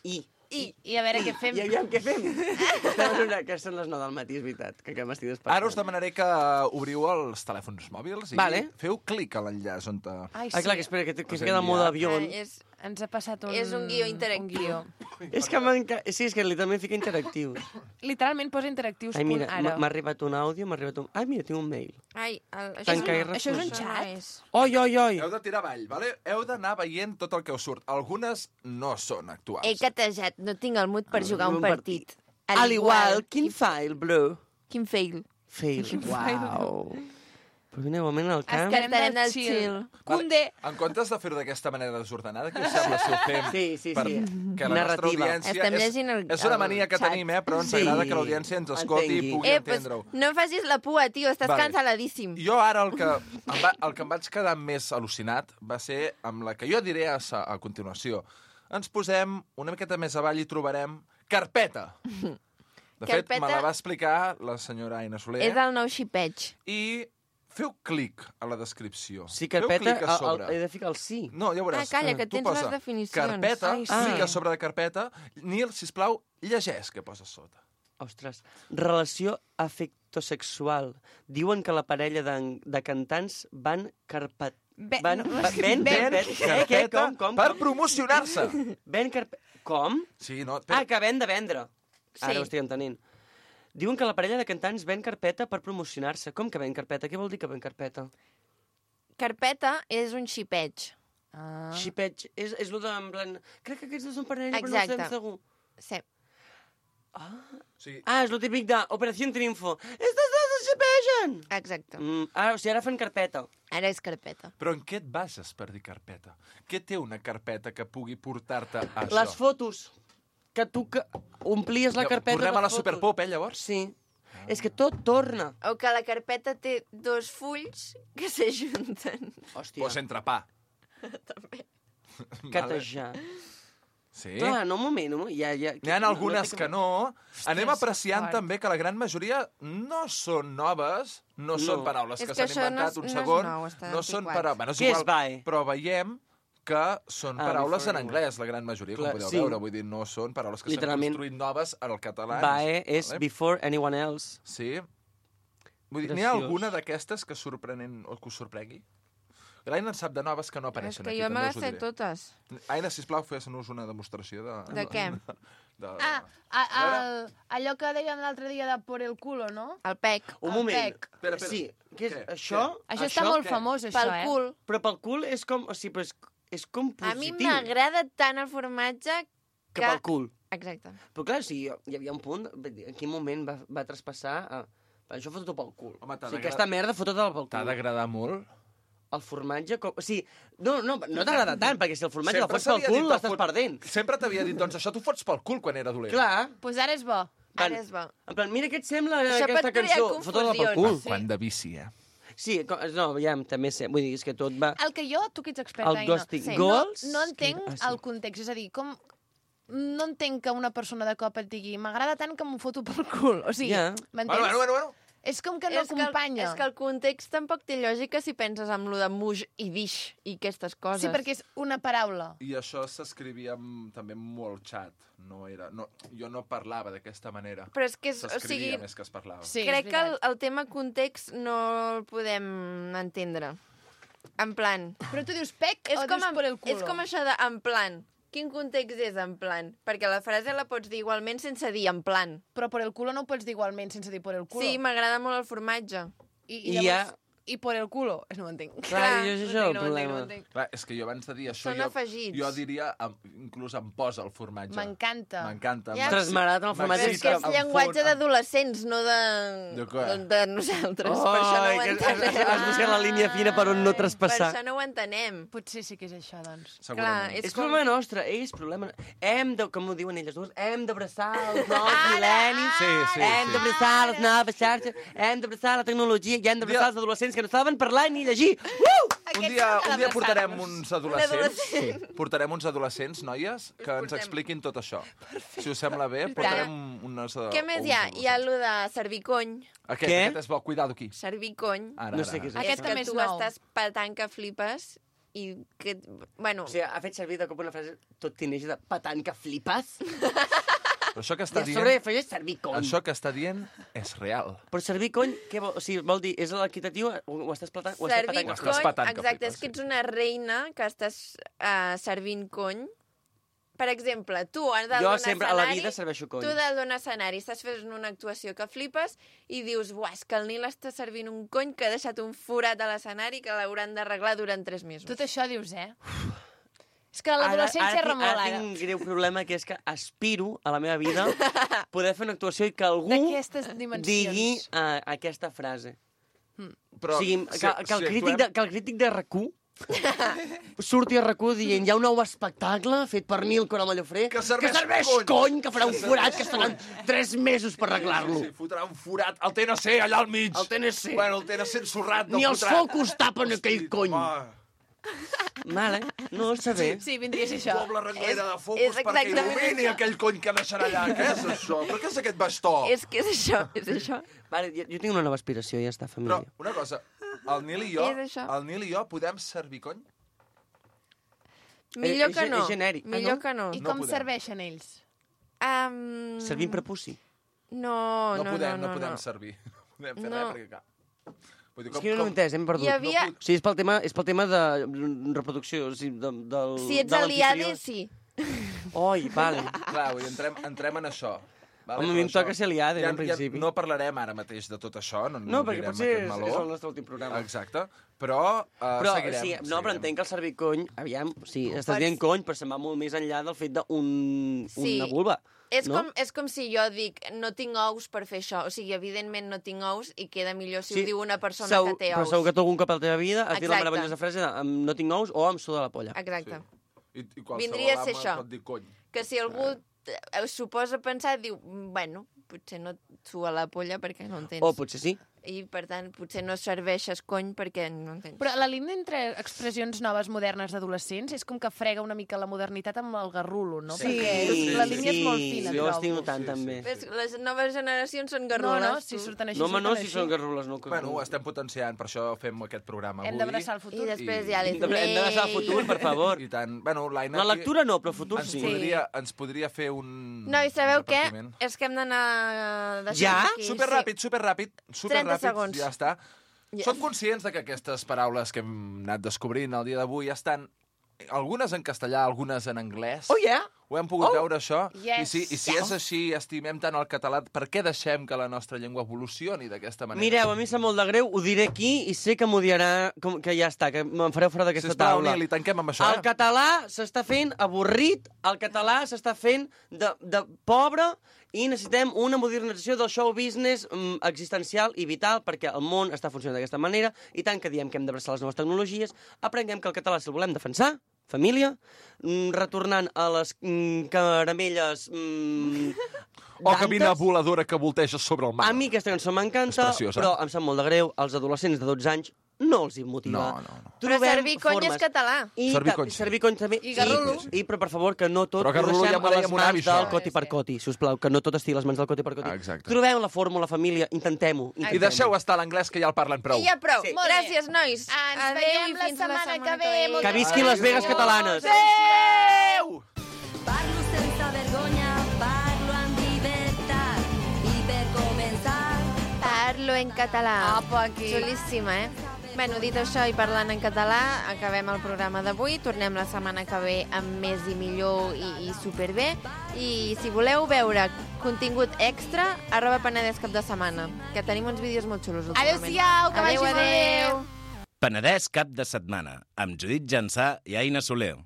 I... I, I a veure què fem. I aviam què fem. Estem en una... Que són les nou del matí, és veritat, que, que m'estic despertant. Ara us demanaré que obriu els telèfons mòbils i Vale. feu clic a l'enllaç on... Te... Ai, Ah, clar, que espera, que, que Us es he queda en mode enviat. avió. Eh, és, Ens ha passat un... És un guió interactiu. Un guió. És que m'enca... Sí, és que literalment fica interactiu. Literalment posa interactius Ai, mira, punt ara. m'ha m'ha arribat un àudio, m'ha arribat un... Ai, mira, tinc un mail. ai, el, això, Tanca i és un, això és un això xat? No és. Oi, oi, oi. Heu de tirar avall, vale? Heu d'anar veient tot el que us surt. Algunes no són actuals. He catejat, no tinc el mood per jugar un Un partit. Al igual, quin file, bro? Quin fail. Fail. Uau. Però vine un moment al camp. Estarem Estarem del del chill. chill. Condé. En comptes de fer-ho d'aquesta manera desordenada, què us sembla si ho fem? Sí, sí, per... sí. Que la nostra Narrativa. audiència... Estem és, llegint el- és una el mania que xat. tenim, eh? Però ens Sí. agrada que l'audiència ens escolti Entengui. i pugui Eh, pues, entendre-ho. no facis la pua, tio, estàs Vale. cansaladíssim. Jo ara el que, em va, el que em vaig quedar més al·lucinat va ser amb la que jo diré a, sa- a continuació. Ens posem una miqueta més avall i trobarem carpeta. De fet, Carpeta- me la va explicar la senyora Aina Soler. És el nou xipeig. I feu clic a la descripció. Sí, Feu carpeta, clic a el, sobre. el, he de ficar el sí. No, ja veuràs. Ah, calla, que Tu tens posa les definicions. Carpeta, Ai, sí. clica sobre de carpeta. Nil, sisplau, llegeix què posa sota. Ostres. Relació afectosexual. Diuen que la parella de, de cantants van carpet... Be- Van, no, va, ben, ben, ben, eh, què, Carpeta com, com, per com? promocionar-se. Ben carpet... Com? Sí, no, Ah, espera. que ven de vendre. Ara Sí. ho estic entenent. Diuen que la parella de cantants ven carpeta per promocionar-se. Com que ven carpeta? Què vol dir que ven carpeta? Carpeta és un xipeig. Ah. Xipeig. És, és lo de, en plan... Crec que aquests dos són parella, però no Exacte. estem segur. Sí. Sí. Ah, és lo típic de Operació Triunfo. Estos dos es xipegen! Exacte. Mm, ah, o sigui, ara fan carpeta. Ara és carpeta. Però en què et bases per dir carpeta? Què té una carpeta que pugui portar-te a això? Les fotos. Que tu que omplies la Ja, carpeta Tornem de a la fotos. Superpop, eh, llavors? Sí. És que tot torna. O que la carpeta té dos fulls que s'ajunten. Hòstia, Pues entrepà. També. catejar. Sí. Clar, no, un moment, un moment. Ja, ja, N'hi ha algunes que no. Anem apreciant fort. també que la gran majoria no són noves, no, No. són paraules És que, que s'han això no inventat és- un no és segon. nou, està no són antiquat. paraules... Bueno, és Què és igual, vae? però veiem que són Ah, paraules en before anglès, la gran majoria, Clar, com podeu sí. veure. Vull dir, no són paraules que s'han Literalment. construït noves en el català. Vae és Vale? before anyone else. Sí. Vull dir, n'hi ha Graciós. alguna d'aquestes que sorprenen o que us sorprengui? L'Aina en sap de noves que no És apareixen que aquí, jo me també les us ho sé diré. totes. Aina, sisplau, fes-nos una demostració de... De què? De... Ah, a, a, allò que dèiem l'altre dia de por el culo, no? El pec. Un El moment. pec. Espera, espera. Sí, què és Què? això? Això està molt què? famós, això, Pel eh? cul. Però pel cul és com... O sigui, però és, és com A mi positiu. m'agrada tant el formatge Que que... pel cul. Exacte. Però clar, sí, hi havia un punt... vull dir, En quin moment va, va traspassar... A... Això fot-ho pel cul. Home, t'ha o sigui, d'agra- aquesta merda fot-ho pel cul. T'ha d'agradar molt? El formatge... Com... O sigui, no, no, no t'agrada tant, perquè si el formatge Sempre el fots pel s'havia dit cul, el l'estàs fot- perdent. Sempre t'havia dit, doncs això t'ho fots pel cul quan era dolent. Clar. Doncs pues ara és bo. Van- Ara és bo. En plan, mira què et sembla Això pot aquesta crear cançó. Fot-ho pel cul. confusions. Quan de vici, eh? Sí, com- no, ja, també sé. Vull dir, és que tot va... El que jo, tu que ets experta, El Aina, ghosting. Sí. Goals... no, no entenc Ah, sí. el context. És a dir, com... No entenc que una persona de cop et digui m'agrada tant que m'ho foto pel cul. O sigui, Ja. m'entens? Bueno, bueno, bueno, bueno. És com que no és, que el, acompanya. és que el context tampoc té lògica si penses en lo de muix i dix i aquestes coses. Sí, perquè és una paraula. I això s'escrivia amb- també molt xat. No era, no, jo no parlava d'aquesta manera. Però és que és, o S'escrivia sigui, més que es parlava. Sí, crec és que el, veritat. el tema context no el podem entendre. En plan... Però tu dius pec És o com, dius en, por el culo? és com això de en plan. Quin context és en plan? Perquè la frase la pots dir igualment sense dir en plan. Però por el culo no ho pots dir igualment sense dir por el culo. Sí, m'agrada molt el formatge. I, I i hi ha... llavors... i por el culo. És no ho entenc. Clar, jo és això el no ho entenc, no ho problema. entenc. Clar, és que jo abans de dir això, Són jo, afegits. jo diria, em- inclús em posa el formatge. M'encanta. M'encanta. Ja. M'ex- Trasmarat en el formatge. Però és que és m'excita, em llenguatge fon- d'adolescents, no de... De què? de nosaltres. per això no ho Ai, que has, has, entenem. has buscat la línia fina per on no Per traspassar. això no ho entenem. Potser sí que és això, doncs. Segurament. Clar, És problema nostre, és problema... Hem de, com ho diuen elles dues, hem d'abraçar els nous mil·lennis, Sí, sí, hem sí. d'abraçar les noves xarxes, hem d'abraçar la tecnologia i hem d'abraçar els adolescents que no saben parlar ni llegir. Uh! Un dia, un dia portarem uns adolescents, adolescent. portarem uns adolescents, noies, que ens portem. expliquin tot això. Si us sembla bé, portarem unes... eh, Què més uns hi ha? Hi ha adolescents. allò de servir cony. Aquest, Què? aquest és bo, cuidado aquí. Servir cony. Ara, No ara, sé què és ara. això. Aquest és que també és tu nou. estàs patant que flipes i que... Bueno, O sigui, ha fet servir de cop una frase tot tineix de patant que flipes. Però això que I està a sobre dient, afegeix servir cony. això que està dient és real. Però servir cony, què vol? O sigui, vol dir, és l'equitatiu? Ho, ho estàs patant? Ho estàs servir patant? estàs cony, patant que exacte, flipes, és que ets una reina que estàs uh, servint cony. Per exemple, tu has de Jo donar sempre a la escenari, vida serveixo cony. tu has de donar escenari, estàs fent una actuació que flipes i dius, buah, és que el Nil està servint un cony que ha deixat un forat a l'escenari que l'hauran d'arreglar durant tres mesos. Tot això dius, eh? És que l'adolescència Ara- ara remola, tinc- Ara ara. tinc un greu problema, que és que aspiro a la meva vida poder fer una actuació i que algú D'aquestes dimensions. digui uh, aquesta frase. Però, o sigui, que, si- que, el si crític actuem- de, que el crític de R Q surti a R Q dient hi ha un nou espectacle fet per Nil Coramallofré Que serveix que serveix cony. cony, que farà un Que forat, serveix que estaran tres mesos per arreglar-lo. Sí, sí, fotrà un forat. El T N C allà al mig. El T N C. Bueno, el T N C ensorrat. Ni els focus tapen aquell cony. Home, Vale, no està bé. Sí, vindria a ser això. doble renglera de és focus perquè exactament il·lumini això. aquell cony que deixarà allà. Què és això? Però què és aquest bastó? És que és això, és això. Vale, jo, jo tinc una nova aspiració, ja està, Però, família. una cosa, el Nil i jo, És això. el Nil i jo podem servir cony? Millor és que ge- no. és genèric. Ah, Millor no? que no. I No com podem. serveixen ells? Um... Servint prepuci. No, No, no, podem, no, no, no, podem no. servir. No podem fer No. res perquè, clar... Vull dir, És que jo no ho he entès, hem perdut. Hi havia- No, o sigui, és pel tema, és pel tema de reproducció, o sigui, de, del... Si ets de a l'I A D, l'anfitrió. sí. Oi, vale. Clar, vull dir, entrem, entrem en això. Vale, Home, a mi però em això- toca ser aliada, en principi. no parlarem ara mateix de tot això, no, No, perquè obrirem potser aquest és, meló. és el nostre últim programa. Exacte, però, uh, Però, seguirem. sí, no, però seguirem. entenc que el servir cony, aviam, sí, estàs Per- dient cony, però se'n va molt més enllà del fet d'un Sí. una vulva. És, no? com, és com si jo dic, no tinc ous per fer això. O sigui, evidentment no tinc ous i queda millor si Sí, ho diu una persona Segur- que té Però ous. segur que tu algun cop a la teva vida has dit la Exacte. meravellosa frase de "Em- no tinc ous o em suda la polla. Exacte. I, i qualsevol Vindria a ser home això. pot dir cony. Que si algú eh, s'ho posa a pensar, diu, bueno, potser no et sua la polla perquè no en tens. O potser sí. I, per tant, potser no serveixes cony perquè no en tens. Però la línia entre expressions noves modernes d'adolescents és com que frega una mica la modernitat amb el garrulo, no? Sí, Perquè sí, la línia és molt sí, fina, jo trobo. estic notant Sí, sí. també. Ves, les noves generacions són No, garrules. no, si tu. surten així, No, home, no, surten si així. són garrules, no. Que... Bueno, ho estem potenciant, per això fem aquest programa Hem avui. d'abraçar el futur. I després I- hi ha Hem les de- hem d'abraçar el futur, per favor. I tant. Bueno, l'Aina... La aquí lectura no, però el futur ens sí. podria, ens podria fer un... No, i sabeu un què? repartiment. És que hem d'anar... deixant Ja? aquí, Superràpid, superràpid, superràpid, segons. ja està. Ja. Som conscients de que aquestes paraules que hem anat descobrint el dia d'avui estan algunes en castellà, algunes en anglès. Oh, yeah? Ho hem pogut oh, veure, això. yes. I si, i si és així, estimem tant el català, per què deixem que la nostra llengua evolucioni d'aquesta manera? Mireu, a mi em sap molt de greu, ho diré aquí i sé que m'odiarà, com- que ja està, que me'n fareu fora d'aquesta Sisplau, taula. Nil, i tanquem amb això, El eh? català s'està fent avorrit, el català s'està fent de, de pobre i necessitem una modernització del show business mm, existencial i vital perquè el món està funcionant d'aquesta manera i tant que diem que hem d'abraçar les noves tecnologies, aprenguem que el català, si el volem defensar, família, mm, retornant a les mm, caramelles mm, O cabina dantes. voladora que volteja sobre el mar. A mi aquesta cançó m'encanta, És preciosa. però em sap molt de greu, els adolescents de dotze anys no els hi motiva. No, no, no. Però Trobem servir cony formes. és català. I Servir ta- cony, sí. Servir cony també. I garrulo. I, I, però, per favor, que no tot Però garrulo ho deixem ja m'ho a deia les mon avi, mans del això. coti per coti, sisplau, que no tot estigui a les mans del coti per coti. Ah, exacte. Trobeu la fórmula, família, intentem-ho. I intentem-ho. deixeu estar l'anglès, que ja el parlen prou. I ja prou. Sí. Gràcies, nois. Ens Adéu veiem i la fins setmana que ve. Moltes Que visquin les Vegas catalanes. Adéu! Parlo sense vergonya, parlo amb llibertat. I per començar, Parlo en català. Apa, aquí. Xulíssima, eh? Bueno, dit això i parlant en català, acabem el programa d'avui. Tornem la setmana que ve amb més i millor i, i superbé. I si voleu veure contingut extra, arroba Penedès cap de setmana, que tenim uns vídeos molt xulos últimament. Adéu-siau, que vagi Adéu, molt bé. adéu. Penedès cap de setmana, amb Judit Jansà i Aina Soler.